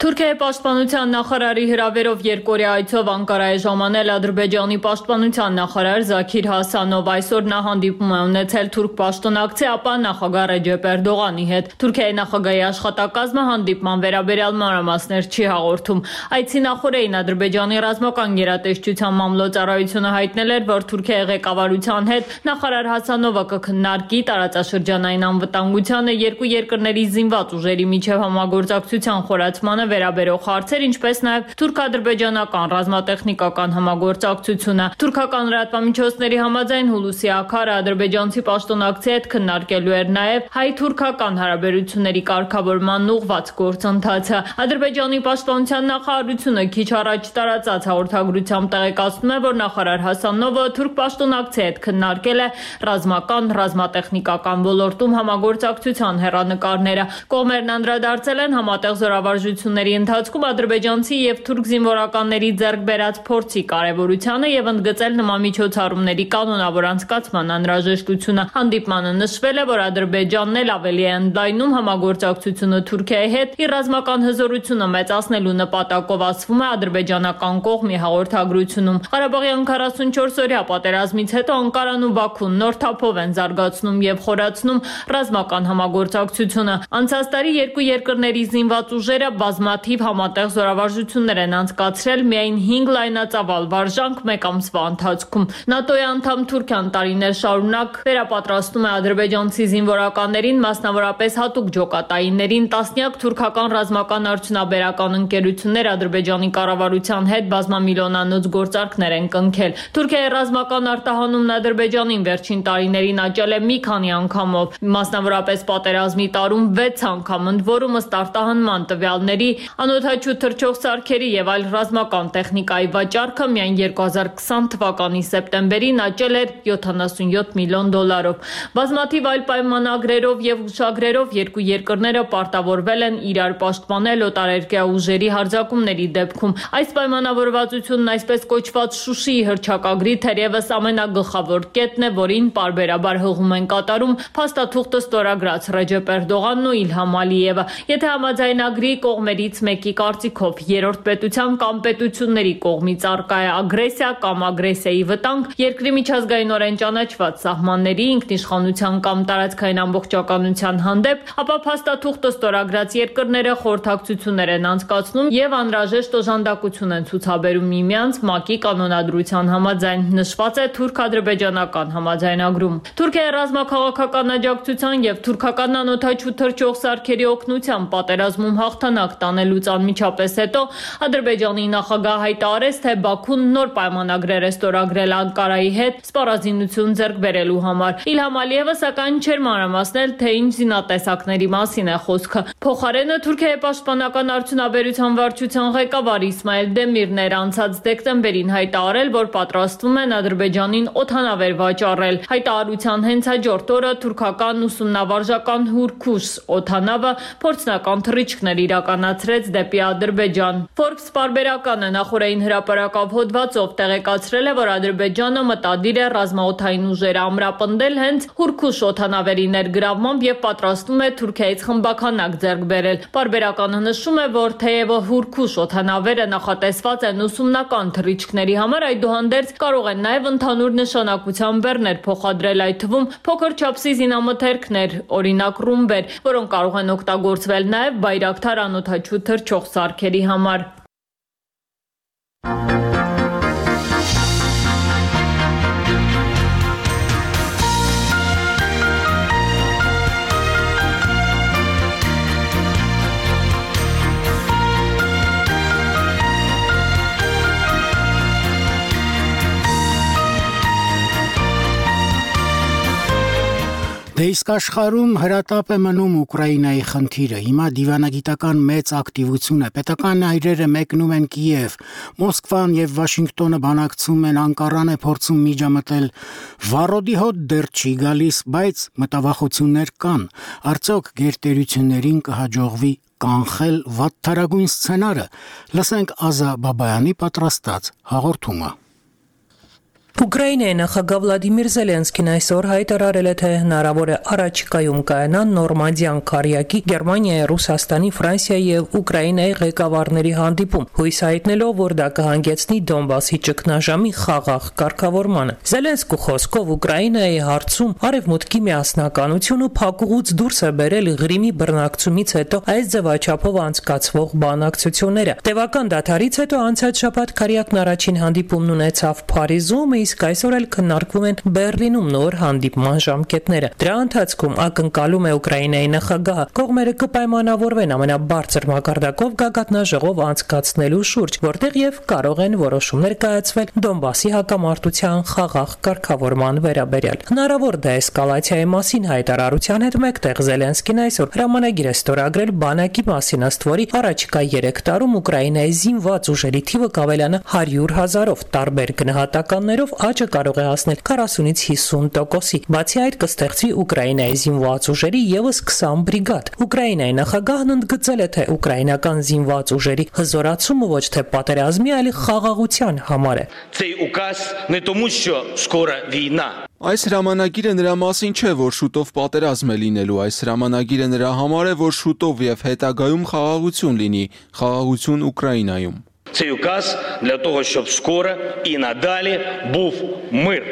Թուրքիայի պաշտպանության նախարարի հրավերով երկօրյա այցով Անկարա է ժամանել Ադրբեջանի պաշտպանության նախարար Զաքիր Հասանով։ Այսօր նա հանդիպում է ունեցել թուրք պաշտոնակցի, ապա նախագահ Ռեջեփ Էրդողանի հետ։ Թուրքիայի նախագահի աշխատակազմը հանդիպման վերաբերյալ մանրամասներ չի հաղորդում։ Այցի նախօրեին Ադրբեջանի ռազմական գերատեսչության մամլոյցարայությունը հայտնել էր, որ Թուրքիայի ղեկավարության հետ նախարար Հասանովը կքննարկի տարածաշրջանային անվտանգությանը, երկու երկրների զինված ուժերի միջև համագործակցության խորացմանը վերաբերող հարցեր, ինչպես նաև թուրք-ադրբեջանական ռազմատեխնիկական համագործակցությունը։ Թուրքական լրատվամիջոցների համաձայն Հուլուսի Աքարը ադրբեջանցի պաշտոնակցի հետ քննարկելու էր նաև հայ-թուրքական հարաբերությունների կարգավորման ուղղված գործընթացը։ Ադրբեջանի պաշտպանության նախարարությունը քիչ առաջ տարածած հաղորդագրությամբ տեղեկացնում է, որ նախարար Հասանովը թուրք պաշտոնակցի հետ քննարկել է ռազմական, ռազմատեխնիկական ոլորտում համագործակցության հեռանկարները։ Կողմերն անդրադարձել են համատեղ զորավարժությունների ընթացքում ադրբեջանցի եւ թուրք զինվորականների ձեռք բերած փորձի կարեւորությանը եւ ընդգծել նման միջոցառումների կանոնավոր անցկացման անհրաժեշտությունը։ Հանդիպմանը նշվել է, որ Ադրբեջանն էլ ավելի է ընդլայնում համագործակցությունը Թուրքիայի հետ իր ռազմական հզորությունը մեծացնելու նպատակով, ասվում է ադրբեջանական կողմի հաղորդագրությունում։ Ղարաբաղյան քառասունչորս օրյա պատերազմից հետո Անկարան ու Բաքուն նոր թափով են զարգացնում եւ խորացնում ռազմական համագործակցությունը։ Անցած տարի երկու երկրների զինված ուժերը բազմաթիվ համատեղ զորավարժություններ են անցկացրել միայն հինգ լայնածավալ վարժանք մեկ ամսվա ընթացքում։ ՆԱՏՕ-ի անդամ Թուրքիան տարիներ շարունակ վերապատրաստում է ադրբեջանցի զինվորականներին, մասնավորապես հատուկ ջոկատայիններին, տասնյակ թուրքական ռազմական արդյունաբերական ընկերություններ Ադրբեջանի կառավարության հետ բազմամիլիոնանոց գործարքներ են կնքել։ Թուրքիայի ռազմական արտահանումն Ադրբեջանին վերջին տարիներին աճել է մի քանի անգամով, մասնավորապես պատերազմի տարում վեց անգամ, ընդ որում ըստ արտահանման տվյալների անօդաչու թռչող սարքերի եւ այլ ռազմական տեխնիկայի վաճառքը միայն երկու հազար քսան թվականի սեպտեմբերին աճել էր յոթանասունյոթ միլիոն դոլարով։ Բազմաթիվ այլ պայմանագրերով եւ հուշագրերով երկու երկրները պարտավորվել են իրար պաշտպանել օտարերկրյա ուժերի հարձակումների դեպքում։ Այս պայմանավորվածությունն այսպես կոչված Շուշիի հռչակագրի թերևս ամենագլխավոր կետն է, որին պարբերաբար հղում են կատարում փաստաթուղթը ստորագրած Ռեջեփ Էրդողանն ու Իլհամ Ալիևը։ Եթե համաձայնագրի կողմերից մեկի կարծիքով երրորդ պետության կամ պետությունների կողմից առկա է ագրեսիա կամ ագրեսիայի վտանգ, երկրի միջազգայինորեն ճանաչված սահմանների, ինքնիշխանության կամ տարածքային ամբողջականության հանդեպ, ապա փաստաթուղթը ստորագրած երկրները խորհրդակցություններ են անցկացնում եւ անհրաժեշտ օժանդակություն են ցուցաբերում միմյանց ՄԱԿ-ի կանոնադրության համաձայն, նշված է թուրք-ադրբեջանական համաձայնագրում։ Թուրքիայի ռազմաքաղաքական աջակցության եւ թուրքական անօդաչու թռչող սարքերի օգնությամբ պատերազմում հաղթանակ տանելուց անմիջապես հետո Ադրբեջանի նախագահ հայտարարեց, թե Բաքուն նոր պայմանագրեր է ստորագրել Անկարայի հետ սպառազինություն ձեռք բերելու համար։ Իլհամ Ալիևը սակայն չէր մանրամասնել, թե ինչ զինատեսակների մասին է խոսքը։ Փոխարենը Թուրքիայի պաշտպանական արդյունաբերության վարչության ղեկավար Իսմայել Դեմիրն էր անցած դեկտեմբերին հայտարարել, որ պատրաստվում են Ադրբեջանին օդանավեր վաճառել։ Հայտարարության հենց հաջորդ օրը թուրքական ուսումնավարժական Հուրքուշ օդանավը փորձնական թռիչքներ իրականացրեց դեպի Ադրբեջան։ Forbes պարբերականը նախորդային հրապարակավ հոդվածով տեղեկացրել է, որ Ադրբեջանը մտադիր է ռազմաօդային ուժերը ամրապնդել հենց Հուրքուշ օդանավերի ներգրավմամբ եւ պատրաստվում է Թուրքիայից խմբականակ ձեռք բերել։ Պարբերականը նշում է, որ թեև Հուրքուշ օդանավերը նախատեսված են ուսումնական թռիչքների համար, այդուհանդերձ կարող են նաեւ ընդհանուր նշանակության բեռներ փոխադրել, այդ թվում փոքր չափսի զինամթերքներ, օրինակ ռումբեր, որոնք կարող են օգտագործվել նաեւ Բայրակթար անօդաչու թռչող սարքերի համար։ Դե իսկ աշխարհում հրատապ է մնում Ուկրաինայի խնդիրը։ Հիմա դիվանագիտական մեծ ակտիվություն է։ Պետական այրերը մեկնում են Կիև, Մոսկվան եւ Վաշինգտոնը բանակցում են, Անկարան է փորձում միջամտել։ Վառոդի հոտ դեռ չի գալիս, բայց մտավախություններ կան։ Արդյոք գերտերություններին կհաջողվի կանխել վատթարագույն սցենարը։ Լսենք Ազա Բաբայանի պատրաստած հաղորդումը։ Ուկրաինայի նախագահ Վլադիմիր Զելենսկին այսօր հայտարարել է, թե հնարավոր է առաջիկայում կայանան նորմանդիան քարյակի Գերմանիայի, Ռուսաստանի, Ֆրանսիայի եւ Ուկրաինայի ղեկավարների հանդիպում, հույս հայտնելով, որ դա կհանգեցնի Դոնբասի ճգնաժամի խաղաղ կարգավորմանը։ Զելենսկու խոսքով Ուկրաինայի հարցում արևմուտքի միասնականությունը փակուղուց դուրս է բերել Ղրիմի բռնակցումից հետո այս ձևաչափով անցկացվող բանակցությունները։ Տևական դադարից հետո անցած շաբաթ քարյակն առաջին հանդիպումն ունեցավ Փարիզում, իսկ այսօր էլ քննարկվում են Բեռլինում նոր հանդիպման ժամկետները։ Դրա ընթացքում ակնկալում է Ուկրաինայի նախագահը կողմերը կպայմանավորվեն ամենաբարձր մակարդակով գագաթնաժողով անցկացնելու շուրջ, որտեղ եւ կարող են որոշումներ կայացվել Դոնբասի հակամարտության խաղաղ կարգավորման վերաբերյալ։ Հնարավոր դեէսկալացիայի մասին հայտարարության հետ մեկտեղ Զելենսկին այսօր հրամանագիր է ստորագրել բանակի մասին, ըստ որի առաջիկա երեք տարում Ուկրաինայի զինված ուժերի թիվը կավելանա հարյուր հազարով, տարբեր գնահատականներով աճը կարող է հասնել քառասունից հիսուն տոկոսի։ Բացի այդ կստեղծվի Ուկրաինայի զինված ուժերի եւս քսան բրիգադ։ Ուկրաինայի նախագահն ընդգծել է, թե ուկրաինական զինված ուժերի հզորացումը ոչ թե պատերազմի, այլ խաղաղության համար է։ Цей указ не тому, що скоро війна. Այս հրամանագիրը նրա մասին չէ, որ շուտով պատերազմ է լինելու, այս հրամանագիրը նրա համար է, որ շուտով եւ հետագայում խաղաղություն լինի, խաղաղություն Ուկրաինայում։ Цей указ для того, щоб скоро і надалі був мир.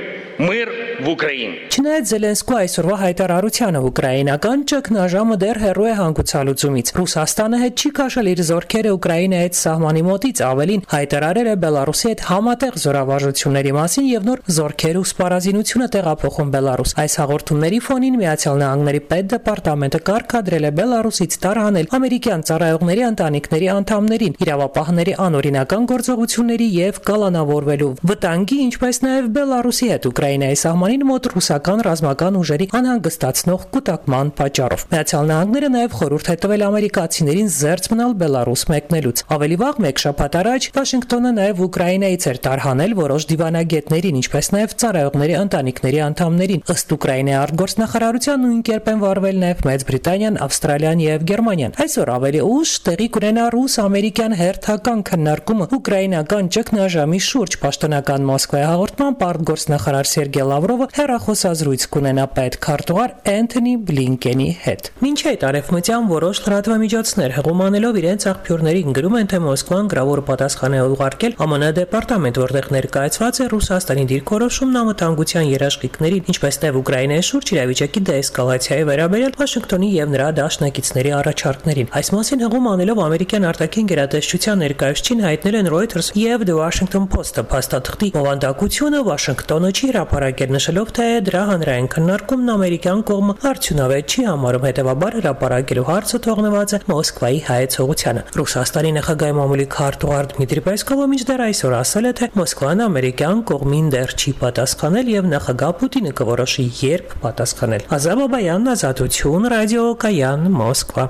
Մир в Ուկրաին։ Չնայած Զելենսկու այսօրվա հայտարարությանը ուկրաինական ճգնաժամը դեռ հեռու է հանգուցալուծումից։ Ռուսաստանը հետ չի քաշել իր զորքերը Ուկրաինայի հետ սահմանի մոտից, ավելին հայտարարել է Բելարուսի հետ համատեղ զորավարժությունների մասին եւ նոր զորքեր ու սպառազինությունը տեղափոխում Բելարուս։ Այս հաղորդումների ֆոնին Միացյալ Նահանգների պետդեպարտամենտը կարգադրել է Բելարուսից տարհանել ամերիկյան ծառայողների ընտանիքների անդամներին իրավապահների անօրինական գործողությունների եւ կալանավորվելու վտանգի, ինչպես նաեւ Բելարուսի հետ Ուկրաինայի սահմանին մոտ ռուսական ռազմական ուժերի անհանգստացնող կուտակման պատճառով։ Միացյալ Նահանգները նաև խորհուրդ է տվել ամերիկացիներին զերծ մնալ Բելարուս մեկնելուց։ Ավելի վաղ մեկ շաբաթ առաջ Վաշինգտոնը նաև Ուկրաինայից էր տարհանել որոշ դիվանագետներին, ինչպես նաև ծառայողների ընտանիքների անդամներին։ Ըստ Ուկրաինայի արտգործնախարարության նույն կերպ են վարվել նաև Մեծ Բրիտանիան, Ավստրալիան եւ Գերմանիան։ Այսօր ավելի ուշ տեղի կունենա ռուս-ամերիկյան հերթական քննարկումը ուկրաինական ճգնաժամի շուրջ։ Պաշտոնական Մոսկվայի հաղորդմամբ արտգործնախարար Սերգեյ Լավրովը հեռախոսազրույց կունենա պետքարտուղար Էնթոնի Բլինկենի հետ։ Մինչ այդ արևմտյան որոշ լրատվամիջոցներ հղումանելով իրենց աղբյուրներին գրում են, թե Մոսկվան գրավոր պատասխան է ուղարկել ԱՄՆ դեպարտամենտ, որտեղ ներկայացված է Ռուսաստանի դիրքորոշումն անվտանգության երաշխիքներին, ինչպես նաև Ուկրաինայի շուրջ իրավիճակի դեէսկալացիայի վերաբերյալ Վաշինգտոնի եւ նրա դաշնակիցների առաջարկներին։ Այս մասին հղում անելով ամերիկյան արտաքին գերատեսչության ներկայացուցիչին հայտնել են Reuters եւ The Washington Post-ը։ Փաստաթղթի մովանդակությունը Վաշինգտոնը չի հրապարակել, նշելով, թե դրա հանրային քննարկումն ամերիկյան կողմը արդյունավետ չի համարում, հետևաբար հրապարակելու հարցը թողնված է Մոսկվայի հայեցողությանը։ Ռուսաստանի նախագահի մամուլի քարտուղար Դմիտրի Պեսկովը մինչդեռ այսօր ասել է, թե Մոսկվան ամերիկյան կողմին դեռ չի պատասխանել եւ նախագահ Պուտինը կորոշի երբ պատասխանել։ Ազատ Բաբայան, Ազատություն, Ռադիո Կայան, Մոսկվա։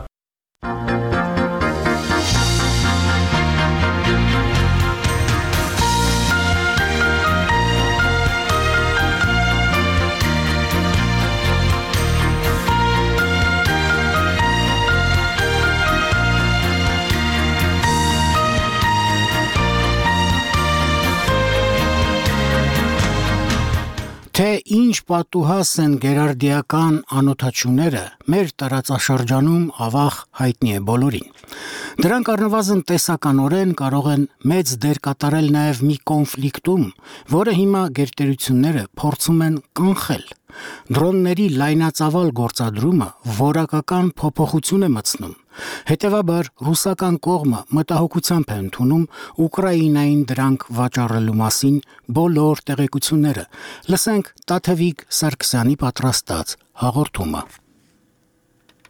Թե ինչ պատուհաս են գերարդիական անօթաչուները, մեր տարածաշրջանում ավաղ հայտնի է բոլորին։ Դրանք առնվազն տեսականորեն կարող են մեծ դեր կատարել նաև մի կոնֆլիկտում, որը հիմա գերտերությունները փորձում են կանխել։ Դրոնների լայնածավալ գործադրումը որակական փոփոխություն է մտցնում։ Հետևաբար ռուսական կողմը մտահոգությամբ է ընդունում Ուկրաինային դրանք վաճառելու մասին բոլոր տեղեկությունները։ Լսենք Տաթևիկ Սարգսյանի պատրաստած հաղորդումը։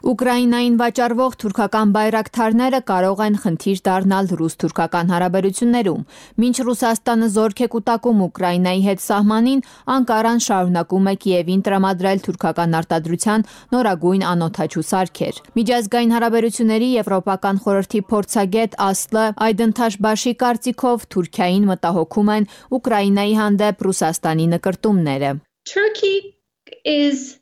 Ուկրաինային վաճառվող թուրքական բայրակթարները կարող են խնդիր դառնալ ռուս-թուրքական հարաբերություններում։ Մինչ Ռուսաստանը զորք է կուտակում Ուկրաինայի հետ սահմանին, Անկարան շարունակում է Կիևին տրամադրել թուրքական արտադրության նորագույն անօթաչու սարքեր։ Միջազգային հարաբերությունների Եվրոպական խորհրդի փորձագետ Ասլը Այդընթաշբաշի կարծիքով Թուրքիային մտահոգում են Ուկրաինայի հանդեպ Ռուսաստանի նկրտումները։ Turkey is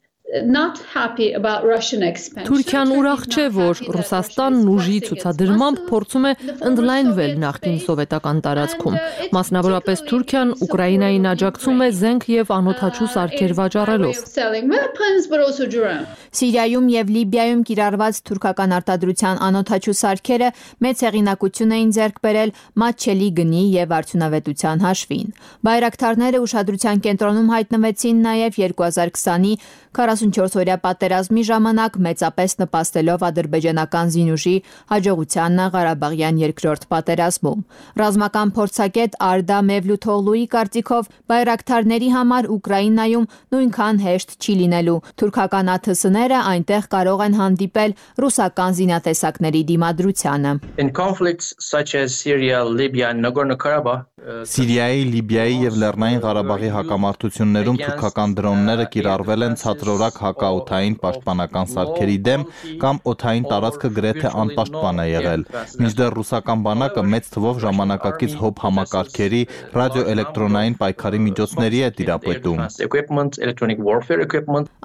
not happy about Russian expansion. Թուրքիան ուրախ չէ, որ Ռուսաստանն ուժի ցուցադրմամբ փորձում է ընդլայնվել նախկին սովետական տարածքում։ Մասնավորապես Թուրքիան Ուկրաինային աջակցում է զենք եւ անօթաչու սարքեր վաճառելով։ Սիրիայում եւ Լիբիայում կիրառված թուրքական արտադրության անօթաչու սարքերը մեծ հեղինակություն էին ձեռք բերել մատչելի գնի եւ արդյունավետության հաշվին։ Բայրակթարները ուշադրության կենտրոնում հայտնվեցին նաեւ երկու հազար քսանի քառասունչորս-օրյա պատերազմի ժամանակ մեծապես նպաստելով ադրբեջանական զինուժի հաջողությանը Ղարաբաղյան երկրորդ պատերազմում։ Ռազմական փորձագետ Արդա Մևլութօղլուի կարծիքով բայրակթարների համար Ուկրաինայում նույնքան հեշտ չի լինելու։ Թուրքական ա թե ս-ները այնտեղ կարող են հանդիպել ռուսական զինատեսակների դիմադրությանը։ In conflicts such as Syria, Libya and Nagorno-Karabakh, Սիրիայի, Լիբիայի եւ Լեռնային Ղարաբաղի հակամարտություններում թուրքական դրոնները կիրառվել են ցածրորակ հակաօդային պաշտպանական սարքերի դեմ կամ օդային տարածքը գրեթե անպաշտպան է եղել։ Մինչդեռ ռուսական բանակը մեծ թվով ժամանակակից հոբ համակարգերի, ռադիոէլեկտրոնային պայքարի միջոցների է տիրապետում։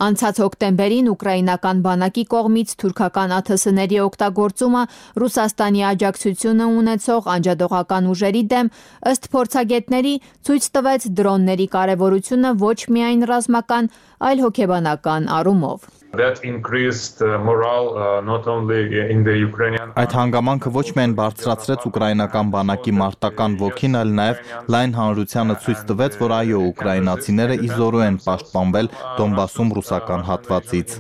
Անցած հոկտեմբերին ուկրաինական բանակի կողմից թուրքական ա թե ս-ների օգտագործումը Ռուսաստանի աջակցությունը ունեցող անջատողական ուժերի դեմ ըստ փորձագետների ցույց տվեց դրոնների կարևորությունը ոչ միայն ռազմական, այլ հոգեբանական առումով։ That increased morale uh, not only in the Ukrainian Այդ հանգամանքը ոչ միայն բարձրացրեց ուկրաինական բանակի մարտական ոգին, այլ նաև լայն հանրությանը ցույց տվեց, որ այո, ուկրաինացիները իզորու են պաշտպանվել Դոնբասում ռուսական հատվածից։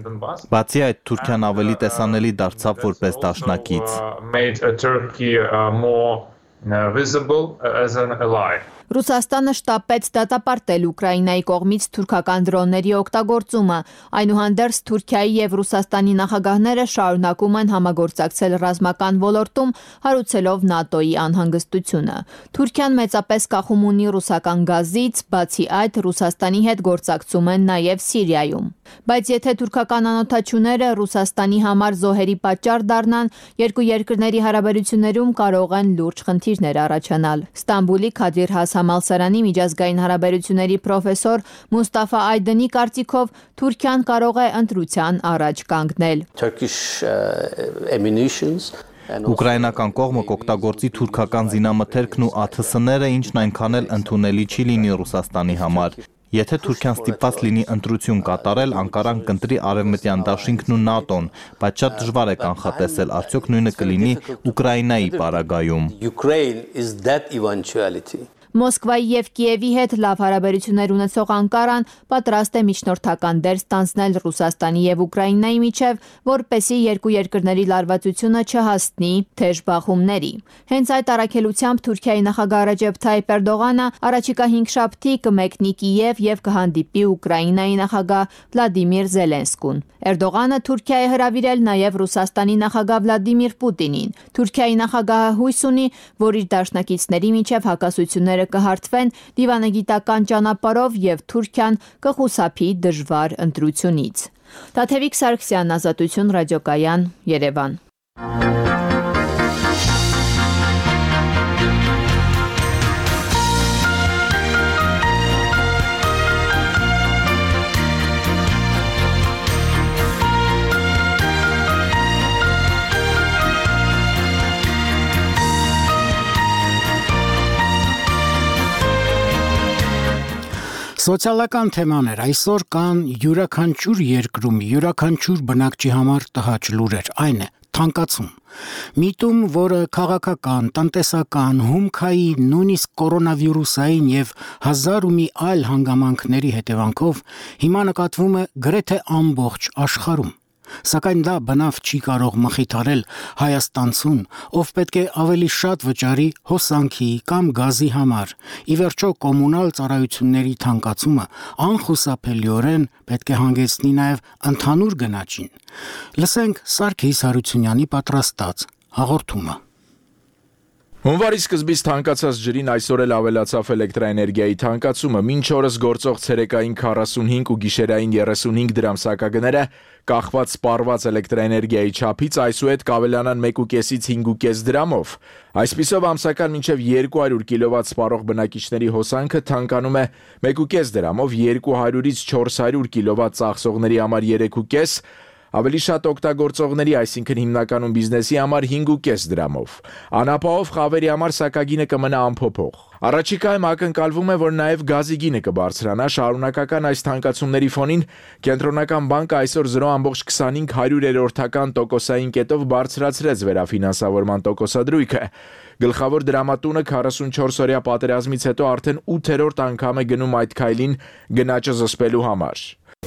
Բացի այդ, Թուրքիան ավելի տեսանելի դարձավ որպես դաշնակից։ made Turkey uh, more uh, visible as an ally. Ռուսաստանը շտապեց դատապարտել Ուկրաինայի կողմից թուրքական դրոնների օգտագործումը, այնուհանդերձ Թուրքիայի եւ Ռուսաստանի նախագահները շարունակում են համագործակցել ռազմական ոլորտում, հարուցելով ՆԱՏՕ-ի անհանգստությունը։ Թուրքիան մեծապես կախում ունի ռուսական գազից, բացի այդ Ռուսաստանի հետ գործակցում են նաեւ Սիրիայում։ Բայց եթե թուրքական անօթաչուները Ռուսաստանի համար զոհերի պատճառ դառնան, երկու երկրների հարաբերություններում կարող են լուրջ խնդիրներ առաջանալ։ Ստամբուլի Քադիր Հաս համալսարանի միջազգային հարաբերությունների պրոֆեսոր Մուստաֆա Այդենի կարծիքով Թուրքիան կարող է ընտրության առաջ կանգնել։ Ուկրաինական կողմը կօգտագործի թուրքական զինամթերքն ու ա թե ս-ները, ինչն այնքան էլ ընդունելի չի լինի Ռուսաստանի համար։ Եթե Թուրքիան ստիպված լինի ընտրություն կատարել, Անկարան կընտրի Արևմտյան դաշինքն ու ՆԱՏՕ-ն, բայց շատ դժվար է կանխատեսել, արդյոք նույնը կլինի Ուկրաինայի պարագայում։ Մոսկվայի եւ Կիևի հետ լավ հարաբերություններ ունեցող Անկարան պատրաստ է միջնորդական դեր ստանձնել Ռուսաստանի եւ Ուկրաինայի միջև, որպեսզի երկու երկրների լարվածությունը չհասնի թեժ բախումների։ Հենց այդ առաքելությամբ Թուրքիայի նախագահ Ռեջեփ Թայիփ Էրդողանը առաջիկա հինգշաբթի կմեկնի Կիև եւ կհանդիպի Ուկրաինայի նախագահ Վլադիմիր Զելենսկուն։ Էրդողանը Թուրքիա է հրավիրել նաեւ Ռուսաստանի նախագահ Վլադիմիր Պուտինին։ Թուրքիայի նախագահը հույս ունի, որ իր դաշնակիցների միջև հակասությունները կհարթվեն դիվանագիտական ճանապարհով եւ Թուրքիան կխուսափի դժվար ընտրությունից։ Տաթևիկ Սարգսյան, Ազատություն ռադիոկայան, Երևան։ Սոցիալական թեմաներ այսօր կան յուրաքանչյուր երկրում, յուրաքանչյուր բնակչի համար տհաճ լուրեր, այն է թանկացում։ Միտում, որը քաղաքական, տնտեսական, հումքայի, նույնիսկ կորոնավիրուսային եւ հազար ու մի այլ հանգամանքների հետևանքով հիմա նկատվում է գրեթե ամբողջ աշխարհում։ Սակայն դա բնավ չի կարող մխիթարել հայաստանցուն, ով պետք է ավելի շատ վճարի հոսանքի կամ գազի համար։ Ի վերջո կոմունալ ծառայությունների թանկացումը անխուսափելիորեն պետք է հանգեցնի նաև ընդհանուր գնաճին։ Լսենք Սարգիս Հարությունյանի պատրաստած հաղորդումը։ Հունվարի սկզբից թանկացած ջրին այսօր էլ ավելացավ էլեկտրաէներգիայի թանկացումը, մինչ օրս գործող ցերեկային քառասունհինգ ու գիշերային երեսունհինգ դրամ սակագները կախված սպառված էլեկտրաէներգիայի չափից այսուհետ կավելանան մեկ ու կեսից հինգ ու կես դրամով։ Այսպիսով ամսական մինչև երկու հարյուր կիլովատ սպառող բնակիչների հոսանքը թանկանում է մեկ ու կես դրամով, երկու հարյուրից չորս հարյուր կիլովատ ծախսողների համար երեք ու կես, ավելի շատ օգտագործողների, այսինքն հիմնականում բիզնեսի համար հինգ ու կես դրամով։ Անապահով խավերի համար սակագինը կմնա անփոփոխ։ Առաջիկայում ակնկալվում է, որ նաև գազի գինը կբարձրանա, շարունակական այս թանկացումների ֆոնին Կենտրոնական բանկը այսօր զրո կόμma քսանհինգ հարյուրերորդական տոկոսային կետով բարձրացրեց վերաֆինանսավորման տոկոսադրույքը։ Գլխավոր դրամատունը քառասունչորս-օրյա պատերազմից հետո արդեն ութերորդ անգամ է գնում այդ քայլին գնաճը զսպելու համար։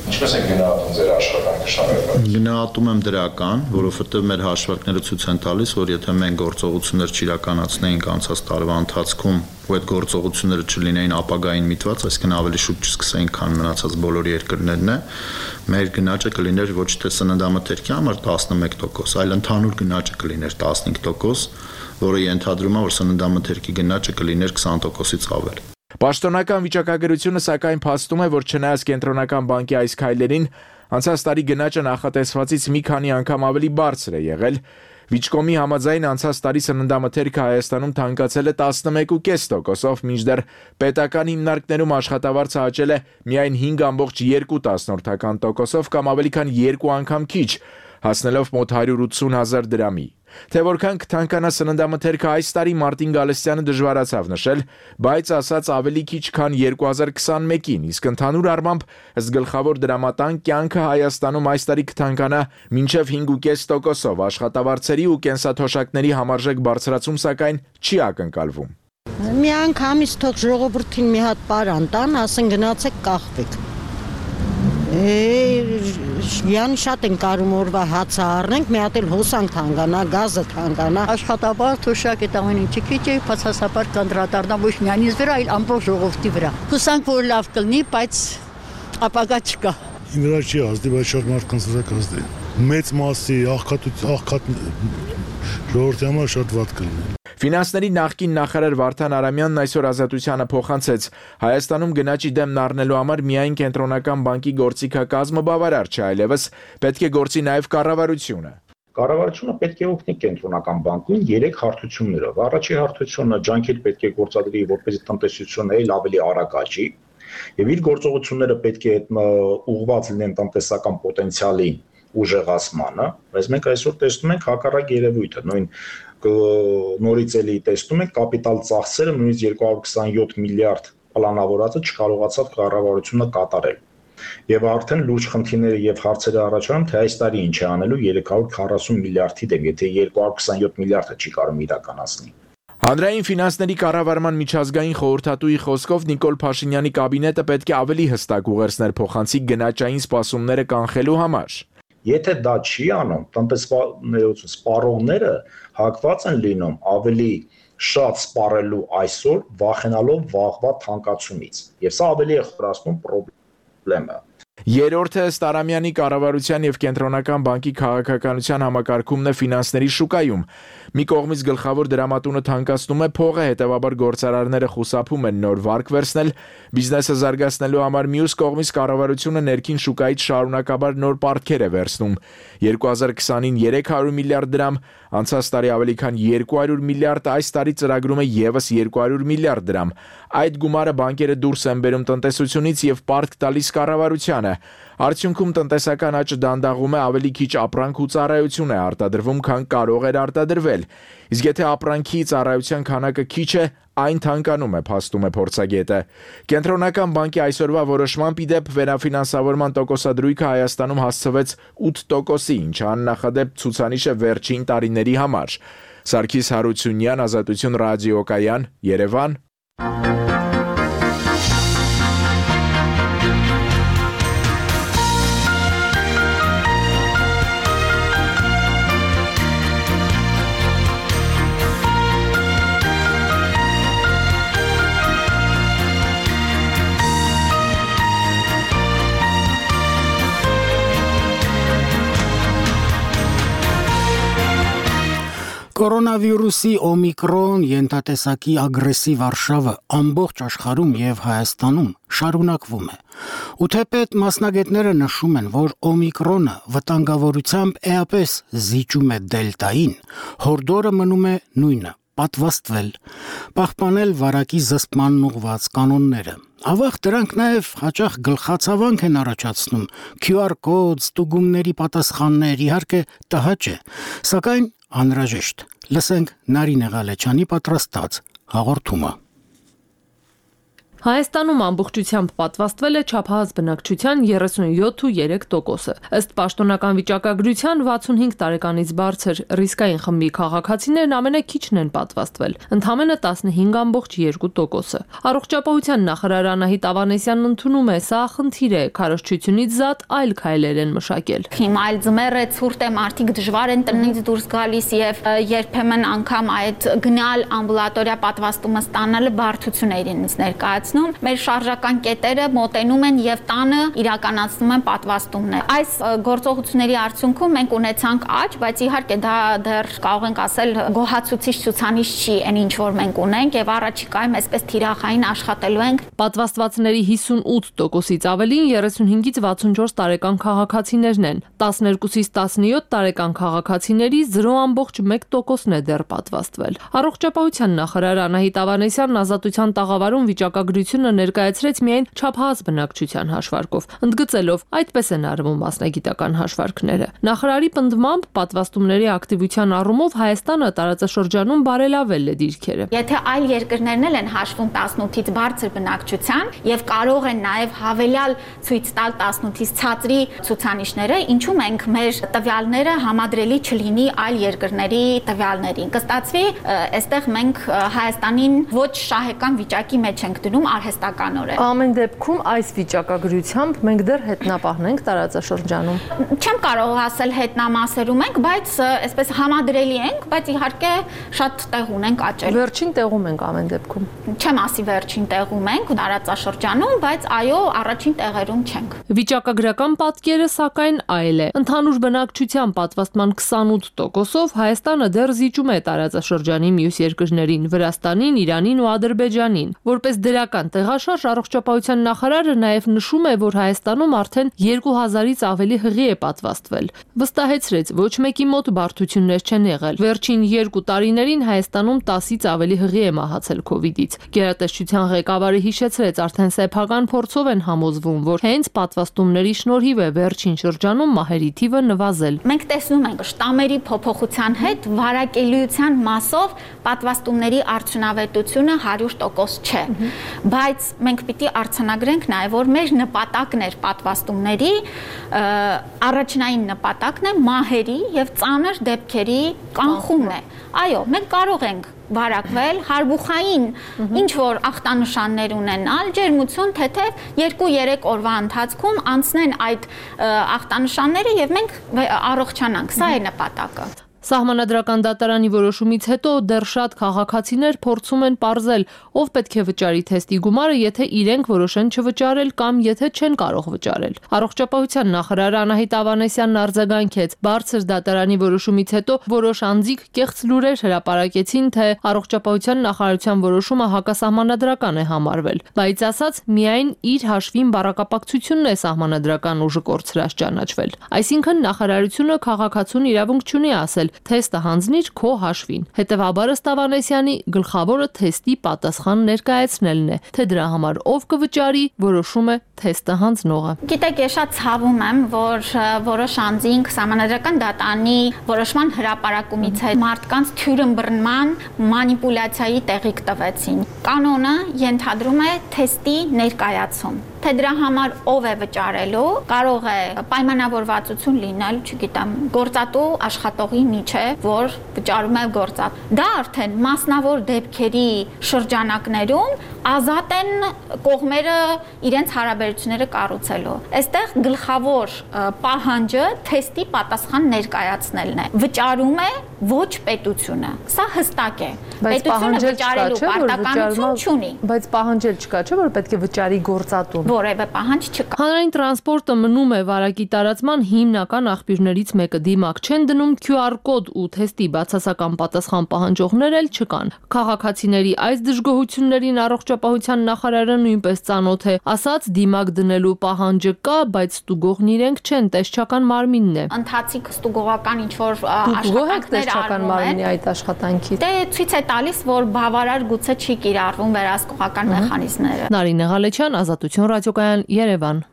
Ինչպես եք գնահատում ձեր աշխատանքը շարունակած։ Գնահատում եմ դրական, որովհետև մեր հաշվարկները ցույց են տալիս, որ եթե մենք գործողություններ չիրականացնեինք անցած տարվա ընթացքում, ու այդ գործողությունները չլինեին ապագային միտված, այսինքն ավելի շուտ չսկսեին, քան մնացած բոլոր երկրներն է, մեր գնաճը կլիներ ոչ թե սննդամթերքի համար տասնմեկ տոկոս, այլ ընդհանուր գնաճը կլիներ տասնհինգ տոկոս, որը ենթադրում է, որ սննդամթերքի գնաճը կլիներ քսան տոկոսից ավել։ Պաշտոնական վիճակագրությունը սակայն փաստում է, որ չնայած կենտրոնական բանկի այս քայլերին, անցած տարի գնաճը նախատեսվածից մի քանի անգամ ավելի բարձր է եղել։ Վիճկոմի համաձայն անցած տարի սննդամթերքը Հայաստանում թանկացել է տասնմեկ կόμμα պենս տոկոսով, մինչդեռ պետական հիմնարկներում աշխատավարձը աճել է միայն հինգ կόμma երկու տոկոսով կամ ավելի քան երկու անգամ քիչ, հասնելով մոտ հարյուր ութսուն հազար դրամի։ Թե որքան կթանկանա սննդամթերքը այս տարի Մարտին Գալստյանը դժվարացավ նշել, բայց ասաց ավելի քիչ քան երկու հազար քսանմեկին, իսկ ընդհանուր առմամբ ըստ գլխավոր դրամատան կյանքը Հայաստանում այս տարի կթանկանա մինչև հինգ կόμma պենս տոկոսով, աշխատավարձերի ու կենսաթոշակների համարժեք բարձրացում սակայն չի ակնկալվում։ Մի անգամից թող ժողովրդին մի հատ պարան տան, ասեն գնացեք կախվեք։ Յանի շատ են կարում օրվա հացը առնենք, մի հատ էլ հոսանք թանկանա, գազը թանկանա։ Աշխատավարձ թոշակ այդ ամեն ինչը քիչ է, բացասաբար կանդրադառնա ոչ միայն ինձ վրա, այլ ամբողջ ժողովրդի վրա։ Հուսանք, որ լավ կլինի, բայց ապագա չկա։ Իմ վրա չի ազդի, բայց շատ մարդկանց վրա կազդի։ Մեծ մասի աղքատ աղքատ ժողովրդի համար շատ վատ կլինի։ Ֆինանսների նախկին նախարար Վարդան Արամյանն այսօր Ազատությանը փոխանցեց. Հայաստանում գնաճի դեմն առնելու համար միայն կենտրոնական բանկի գործիքակազմը բավարար չէ, այլևս պետք է գործի նաև կառավարությունը։ Կառավարությունը պետք է օգնի կենտրոնական բանկին երեք հարթություններով։ Առաջի հարթությունը ջանքեր պետք է գործադրի, որպեսզի տնտեսությունը ել ավելի արագ աճի, եւ իր գործողությունները պետք է ուղղված լինեն տնտեսական պոտենցիալին ուժեղացմանը, բայց մենք այսօր տեսնում ենք հակառակ երևույթը, նույն նորից էլի տեսնում ենք կապիտալ ծախսերը նույնիսկ երկու հարյուր քսանյոթ միլիարդ պլանավորածը չկարողացավ կառավարությունը կատարել։ Եվ արդեն լուրջ խնդիրները եւ հարցերը առաջանում, թե այս տարի ինչ է անելու երեք հարյուր քառասուն միլիարդի դեմ, եթե երկու հարյուր քսանյոթ միլիարդը չի կարող իրականացնել։ Հանրային ֆինանսների կառավարման միջազգային խորհրդատուի խոսքով Նիկոլ Փաշինյանի կաբինետը պետք է ավելի հստակ ուղերձներ փոխանցի գնաճային սպասումները կանխելու համար։ Եթե դա չի անում, տնտեսներություն սպառողները հակված են լինում ավելի շատ սպառելու այսօր, վախենալով վաղվա թանկացումից։ Եվ սա ավելի է խորացնում խնդրը։ Երրորդը ըստ Արամյանի կառավարության եւ կենտրոնական բանկի քաղաքականության համակարգումն է ֆինանսների շուկայում։ Մի կողմից գլխավոր դրամատունը թանկացնում է փողը, հետեւաբար գործարարները խուսափում են նոր վարկ վերցնել, բիզնեսը զարգացնելու համար մյուս կողմից կառավարությունը ներքին շուկայից շարունակաբար նոր պարտքեր է վերցնում։ երկու հազար քսանին երեք հարյուր միլիարդ դրամ, անցած տարի ավելի քան երկու հարյուր միլիարդ, այս տարի ծրագրում է եւս երկու հարյուր միլիարդ դրամ։ Այդ գումարը բանկերը դուրս են բերում տնտեսությունից եւ պարտք տալիս կառավարությանը։ Արդյունքում տնտեսական աճը դանդաղում է, ավելի քիչ ապրանք ու ծառայություն է արտադրվում, քան կարող էր արտադրվել։ Իսկ եթե ապրանքի ծառայության քանակը քիչ է, այն թանկանում է, փաստում է փորձագետը։ Կենտրոնական բանկի այսօրվա որոշմամբ ի դեպ վերաֆինանսավորման տոկոսադրույքը Հայաստանում հասցվեց ութ տոկոսի, ինչը աննախադեպ ցուցանիշ է վերջին տարիների համար։ Սարգիս Հարությունյան, Ազատություն ռադիոկայան, Երևան։ Կորոնավիրուսի օմիկրոն ենթատեսակի ագրեսիվ արշավը ամբողջ աշխարհում եւ Հայաստանում շարունակվում է։ Ու թեպետ մասնագետները նշում են, որ օմիկրոնը վտանգավորությամբ էապես զիջում է դելտային, հորդորը մնում է նույնը՝ պատվաստվել, պահպանել վարակի զսպմանն ուղղված կանոնները։ Ավաղ դրանք նաև հաճախ գլխացավանք են առաջացնում, քյու ար կոդ, ստուգումների պատասխաններ, իհարկե տհաճ է, սակայն անհրաժեշտ։ Լսենք Նարինե Ղալեչյանի պատրաստած հաղորդումը։ Հայաստանում ամբողջությամբ պատվաստվել է չափահաս բնակչության երեսունյոթ ու երեք տոկոսը։ Ըստ պաշտոնական վիճակագրության վաթսունհինգ տարեկանից բարձր ռիսկային խմբի քաղաքացիներն ամենաքիչն են պատվաստվել, ընդամենը տասնհինգ ամբողջ երկու տոկոսը։ Առողջապահության նախարար Անահիտ Ավանեսյանն ընդունում է, սա խնդիր է, քարոզչությունից զատ այլ քայլեր են մշակել։ Հիմա այլ ձմեռ է, ցուրտ է, մարդիկ դժվար են տնից դուրս գալիս եւ երբեմն անգամ այդ գնալ ամբուլատորիա պատվաստումը ստանալը բարդություն է իրենից ներկայացնում։ Մեր շարժական կետերը մոտենում են եւ տանը իրականացնում են պատվաստումներ։ Այս գործողությունների արդյունքում մենք ունեցանք աճ, բայց իհարկե դա դեռ կարող ենք ասել գոհացուցիչ ցուցանիշ չի, այն ինչ որ մենք ունենք եւ առաջիկայում այսպես թիրախային աշխատելու ենք։ Պատվաստվածների հիսունութ տոկոսից ավելին երեսունհինգից վաթսունչորս տարեկան քաղաքացիներն են։ տասներկուսից տասնյոթ տարեկան քաղաքացիների զրո ամբողջ մեկ տոկոսն է դեռ պատվաստվել։ Առողջապահության նախարար Անահիտ Ավանեսյանն ազատության տաղավարում վիճակագրությունը ներկայացրեց միայն չափահաս բնակչության հաշվարկով, ընդգծելով այդպես են արվում մասնագիտական հաշվարկները։ Նախարարի պնդմամբ պատվաստումների ակտիվության առումով Հայաստանը տարածաշրջանում բարելավել է դիրքերը։ Եթե այլ երկրներն էլ են հաշվում տասնութից բարձր բնակչության եւ կարող են նաեւ հավելյալ ցույց տալ տասնութից ցածրի ցուցանիշները, ինչու մենք մեր տվյալները համադրելի չլինի այլ երկրների տվյալներին։ Կստացվի, այստեղ մենք Հայաստանին ոչ շահեկան վիճակի մեջ ենք դնում արհեստականորեն։ Ամեն դեպքում այս վիճակագրությամբ մենք դեռ հետնապահն ենք տարածաշրջանում։ Չեմ կարող ասել հետնամասերում ենք, բայց այսպես համադրելի ենք, բայց իհարկե շատ տեղ ունենք աճել։ Վերջին տեղում ենք ամեն դեպքում։ Չեմ ասի վերջին տեղում ենք տարածաշրջանում, բայց այո, առաջին տեղերում չենք։ Վիճակագրական պատկերը սակայն այլ է։ Ընդհանուր բնակչության պատվաստման քսանութ տոկոսով Հայաստանը դեռ զիջում է տարածաշրջանի մյուս երկրներին՝ Վրաստանին, Իրանին ու Ադրբեջանին։ Որպես դրական տեղաշարժ առողջապահության նախարարը նաև նշում է, որ Հայաստանում արդեն երկու հազարից ավելի հղի է պատվաստվել։ Վստահեցրեց, ոչ մեկի մոտ բարդություններ չեն եղել։ Վերջին երկու տարիներին Հայաստանում տասից ավելի հղի է մահացել քովիդից։ Գերատեսչության ղեկավարը հիշեցրեց, արդեն սեփական փորձով են համոզվում, որ հենց պատվաստումների շնորհիվ է վերջին շրջանում մահերի թիվը նվազել։ Մենք տեսնում ենք շտամերի փոփոխության հետ վարակելիության մասով պատվաստումների արդյունավետությունը հարյուր տոկոս չէ, բայց մենք պիտի արձանագրենք նաև, որ մեր նպատակն էր պատվաստումների, առաջնային նպատակն է մահերի եւ ծանր դեպքերի կանխումն է։ Այո, մենք կարող ենք վարակվել, հարբուխային ինչ որ ախտանշաններ ունենալ, ջերմություն, թեթև երկու-երեք օրվա ընթացքում անցնեն այդ ախտանշանները եւ մենք առողջանանք։ Սա է նպատակը։ Սահմանադրական դատարանի որոշումից հետո դեռ շատ քաղաքացիներ փորձում են պարզել, ով պետք է վճարի թեստի գումարը, եթե իրենք որոշեն չվճարել կամ եթե չեն կարող վճարել։ Առողջապահության նախարար Անահիտ Ավանեսյանն արձագանքեց, բարձր դատարանի որոշումից հետո որոշ անձիկ կեղծ լուրեր հրապարակեցին, թե առողջապահության նախարարության որոշումը հակասահմանադրական է համարվել, բայց ասաց միայն իր հաշվին բառակապակցությունն է սահմանադրական ուժը կորցրած ճանաչվել։ Այսինքն նախարարությունը քաղաքացուն իրավունք չունի ասել թեստը հանձնիր քո հաշվին։ Հետևաբար ըստ Ավանեսյանի գլխավորը թեստի պատասխան ներկայացնելն է, թե դրա համար ով կվճարի, որոշում է թեստը հանձնողը։ Գիտեք, ես շատ ցավում եմ, որ որոշ անձինք սահմանադրական դատարանի որոշման հրապարակումից հետ մարդկանց թյուրըմբռնման, մանիպուլյացիայի տեղիք տվեցին։ Կանոնը ենթադրում է թեստի ներկայացում։ Թե դրա համար ով է վճարելու, կարող է պայմանավորվածություն լինել, չգիտեմ, գործատու աշխատողի միջև, որ վճարում է գործատու։ Դա արդեն մասնավոր դեպքերի շրջանակներում ազատ են կողմերը իրենց հարաբերությունները կառուցելու։ Այստեղ գլխավոր պահանջը թեստի պատասխան ներկայացնելն է։ Վճարում է ոչ պետությունը։ Սա հստակ է։ Պետությունը վճարելու պարտականություն չունի։ Բայց պահանջել չկա, չէ՞ որ պետք է վճարի գործատուն։ Որևէ պահանջ չկա։ Հանրային տրանսպորտը մնում է վարակի տարածման հիմնական աղբյուրներից մեկը։ Դիմակ չեն դնում քյու ար կոդ ու թեստի բացասական պատասխան պահանջողներ էլ չկան։ Քաղաքացիների այս դժգոհություններին առողջապահության նախարարը նույնպես ծանոթ է։ Ասաց դիմակ դնելու պահանջը կա, բայց ստուգողն իրենք չեն, տեսչական մարմինն է։ Ընթացիկ ստուգողական ինչ որ աշխատանքներ արվում են այդ աշխատանքի։ Դե ցույց է տալիս, որ բավարար գուցե չի կիրառվում վերահսկողական մեխանիզմները։ Նարինե Ղալեչյան, Ազատություն ռադիոկայան, Երևան։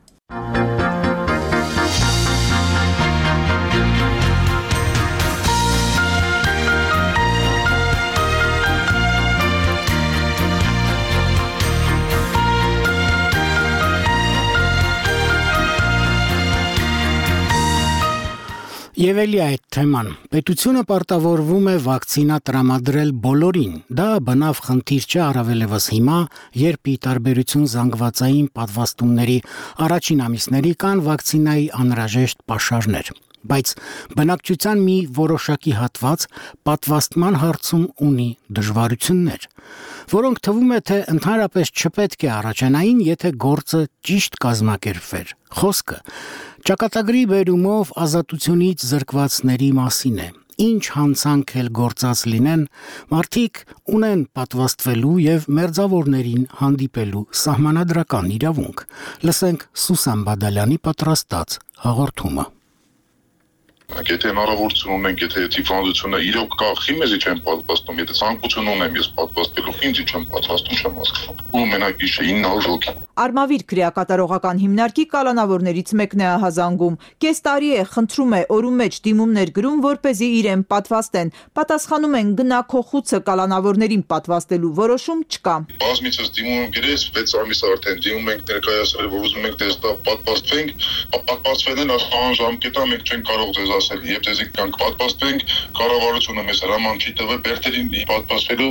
Եվ էլի այդ թեման, պետությունը պարտավորվում է վակցինա տրամադրել բոլորին, դա բնավ խնդիր չէ առավելևս հիմա, երբ ի տարբերություն զանգվածային պատվաստումների առաջին ամիսների կան վակցինայի անհրաժեշտ պաշարներ, բայց բնակչության մի որոշակի հատված պատվաստման հարցում ունի դժվարություններ, որոնք թվում է, թե ընդհանրապես չպետք է առաջանային, եթե գործը ճիշտ կազմակերպվեր, խոսքը Ճակատագրի բերումով ազատությունից զրկվածների մասին է, ինչ հանցանք էլ գործած լինեն, մարդիկ ունեն պատվաստվելու և մերձավորներին հանդիպելու սահմանադրական իրավունք, լսենք Սուսան Բադալյանի պատրաստած հաղորդումը։ Եթե հնարավորություն ունենք, եթե ծիվանդությունը իրոք կա, խի մեզի չեմ պատվաստում, եթե ցանկություն ունեմ ես պատվաստելու, ինձ չեմ պատվաստում, չեմ հասկանում։ Ու մենակ իշ է ինը հոգի։ Արմավիր քրեակատարողական հիմնարկի կալանավորներից մեկն է ահազանգում։ Կես տարի է խնդրում է օրում մեջ դիմումներ գրում, որպեսզի իրեն պատվաստեն։ Պատասխանում են գնա քո խուցը կալանավորներին պատվաստելու որոշում չկա։ Բազմիցս դիմում եմ գրես վեց ամիս արդեն դիմում ենք ներկայացրել, որ ուզում ենք տեստա պատվաստվենք, պատվաստվել են ասան ժամկետա մենք չենք կարող ձեզ ասել, երբ ձեզ կանք պատվաստվենք, կառավարությունը մեզ հրաման չի տվել բերտերին պատվաստվելու։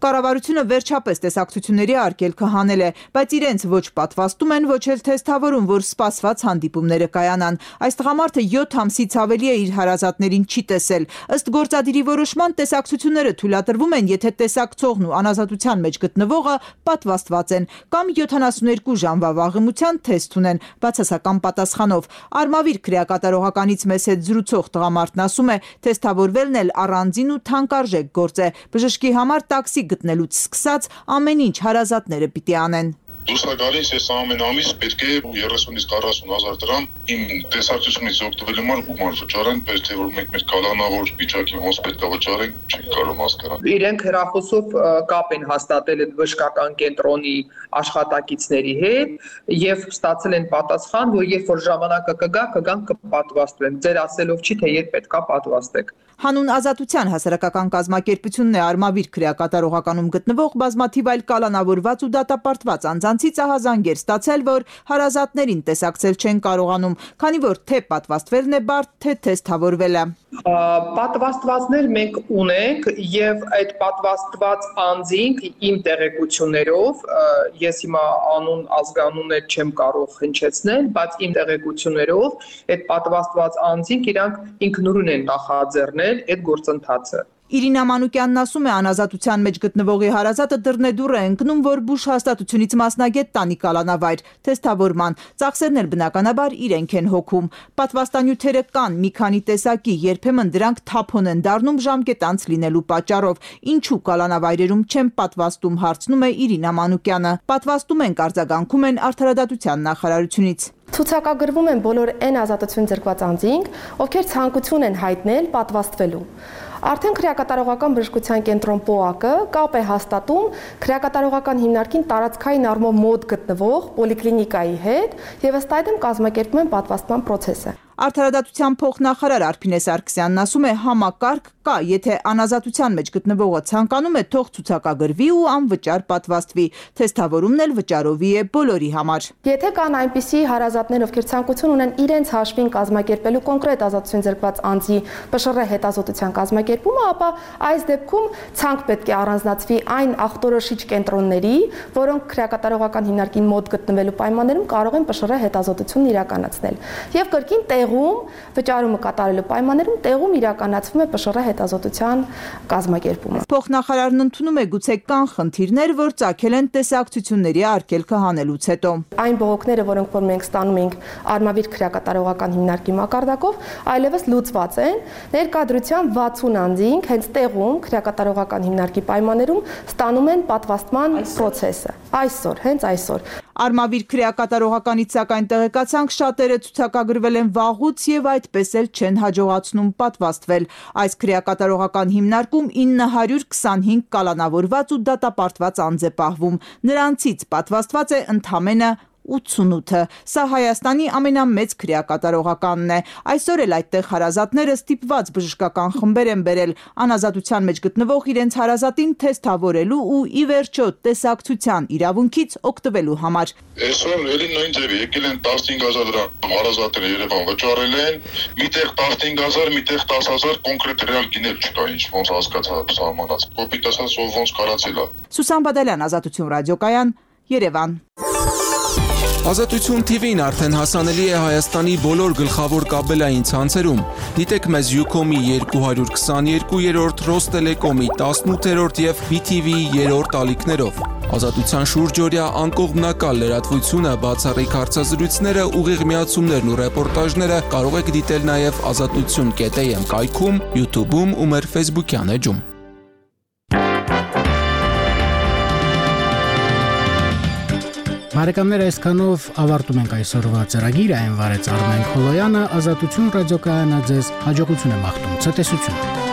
Կառավարությունը վերջապես տեսակցությունների արգելքը հանել է, բայց իրենց ոչ պատվաստում են, ոչ էլ թեստավորում, որ սպասված հանդիպումները կայանան։ Այս տղամարդը յոթ ամսից ավելի է իր հարազատներին չի տեսել։ Ըստ գործադիրի որոշման տեսակցությունները թույլատրվում են, եթե տեսակցողն ու անազատության մեջ գտնվողը պատվաստված են կամ յոթանասունյոթ ժամվա վաղեմության թեստ ունեն բացասական պատասխանով։ Արմավիր քրեակատարողականից մեզ հետ զրուցող տղամարդն ասում է, թեստավորվելն էլ առանձին ու թանկարժեք գործ է։ Բժշկի համար տաքսի գտնելուց սկսած ամեն ինչ հարազատները պիտի անեն։ Դուրս գալիս ես ամեն ամիս պետք է երեսունից քառասուն հազար դրամ իմ տեսակցությունից օգտվելու համար գումար վճարեն, բայց թե որ մենք մեր կալանավոր վիճակի ոնց պետք է վճարենք, չենք կարող հասկանալ։ Իրենք հեռախոսով կապ են հաստատել այդ բժշկական կենտրոնի աշխատակիցների հետ եւ ստացել են պատասխան, որ երբ որ ժամանակը կգա, կգան կպատվաստվեն։ Ձեր ասելով չի, թե երբ պետք է պատվաստեք։ Հանուն ազատության հասարակական կազմակերպությունն է Արմավիր քրեակատարողականում գտնվող բազմաթիվ այլ կալանավորված ու դատապարտված անձանցից ահազանգեր ստացել, որ հարազատներին տեսակցել չեն կարողանում, քանի որ թե պատվաստվելն է բարդ, թե թեստավորվելը։ Պատվաստվածներ մենք ունենք եւ այդ պատվաստված անձինք իմ տեղեկություններով, ես հիմա անուն ազգանուններ չեմ կարող հնչեցնել, բայց իմ տեղեկություններով այդ պատվաստված անձինք իրանք ինքնուրույն են նախաձեռնել այդ գործընթացը։ Իրինա Մանուկյանն ասում է, անազատության մեջ գտնվողի հարազատը դռնեդուռ է ընկնում, որ բուժ հաստատությունից մասնագետ տանի կալանավայր, թեստավորման, ծախսերն էլ բնականաբար իրենք են հոգում։ Պատվաստանյութերը կան մի քանի տեսակի, երբեմն դրանք թափոն են դառնում ժամկետանց լինելու պատճառով։ Ինչու կալանավայրերում չեն պատվաստում, հարցնում է Իրինա Մանուկյանը։ Պատվաստում ենք, արձագանքում են Արդարադատության նախարարությունից։ Ցուցակագրվում են բոլոր այն ազատություն ձեռքված անձինք, ովքեր ցանկություն են հայտնել պատվաստվելու։ Արդեն քրեակատարողական բժշկության կենտրոն ՊՕԱԿ-ը կապ է հաստատում քրեակատարողական հիմնարկին տարածքային առումով մոտ գտնվող պոլիկլինիկայի հետ եւ ըստ այդմ կազմակերպում են պատվաստման process-ը։ Արդարադատության փոխնախարար Արփինե Սարգսյանն ասում է, համակարգ կա, եթե անազատության մեջ գտնվողը ցանկանում է, թող ցուցակագրվի ու անվճար պատվաստվի։ Թեստավորումն էլ վճարովի է բոլորի համար։ Եթե կան այնպիսի հարազատներ, ովքեր ցանկություն ունեն իրենց հաշվին կազմակերպելու կոնկրետ ազատություն ձեռքված անձի ՊՇՌ հետազոտության կազմակերպումը, ապա այս դեպքում ցանկ պետք է առանձնացվի այն ախտորոշիչ կենտրոնների, որոնք քրեակատարողական հիմնարկին մոտ գտնվելու պայմաններում կարող են ՊՇՌ հետազոտությունն իրականացնել։ Եվ կրկին տեղում վճարումը կատարելու պայմաններում տեղում իրականացվում է ՊՇՌ հետազոտության կազմակերպումը։ Փոխնախարարն ընդունում է, գուցե կան խնդիրներ, որ ծագել են տեսակցությունների արգելքը հանելուց հետո։ Այն բողոքները, որոնք որ մենք ստանում ենք Արմավիր քրեակատարողական հիմնարկի մակարդակով, այլևս լուծված են։ Ներկայդրության վաթսուն անձինք հենց տեղում քրեակատարողական հիմնարկի պայմաններում ստանում են պատվաստման process-ը։ Այսօր, հենց այսօր։ Արմավիր քրեակատարողականից սակայն տեղեկացանք շատերը ցուցակագրվել են վաղուց եւ այդպես էլ չեն հաջողացնում պատվաստվել։ Այս քրեակատարողական հիմնարկում ինը հարյուր քսանհինգ կալանավորված ու դատապարտված անձ է պահվում։ Նրանցից պատվաստված է ընդամենը ութսունութը։ Սա Հայաստանի ամենամեծ քրեակատարողականն է։ Այսօր էլ այդտեղ հարազատները ստիպված բժշկական խմբեր են բերել անազատության մեջ գտնվող իրենց հարազատին թեսթավորելու ու ի վերջո տեսակցության իրավունքից օգտվելու համար։ Այսօր էլի նույն ձևի եկել են տասնհինգ հազար դրամ հարազատները Երևան վճարել են, միտեղ տասնհինգ հազար, միտեղ տասը հազար կոնկրետ ռեալ գիներ չկա, ինչ ոնց հասկացա սահմանած։ Կոպիտ ասած ով ոնց կարացել է։ Սուսան Բադալյան, Ազատություն ռադիոկայան, Երևան։ Ազատություն թի վին արդեն հասանելի է Հայաստանի բոլոր գլխավոր կաբելային ցանցերում։ Դիտեք մեզ Ucom-ի երկու հարյուր քսաներկուերորդ, Ռոստելեկոմի տասնութերորդ եւ բի թի վի-ի երրորդ ալիքներով։ Ազատության շուրջօրյա անկողմնակալ լրատվությունը, բացառիկ հարցազրույցները, ուղիղ միացումներն ու ռեպորտաժները կարող եք դիտել նաեւ ազատություն կետ էյ էմ կայքում, YouTube-ում ու մեր Facebook-յան էջում։ Բարեկամներ, այսքանով ավարտում ենք այսօրվա ծրագիրը, այն վարեց Արմեն Խոլոյանը, Ազատություն ռադիոկայանը ձեզ հաջողություն է մաղթում, ցտեսություն։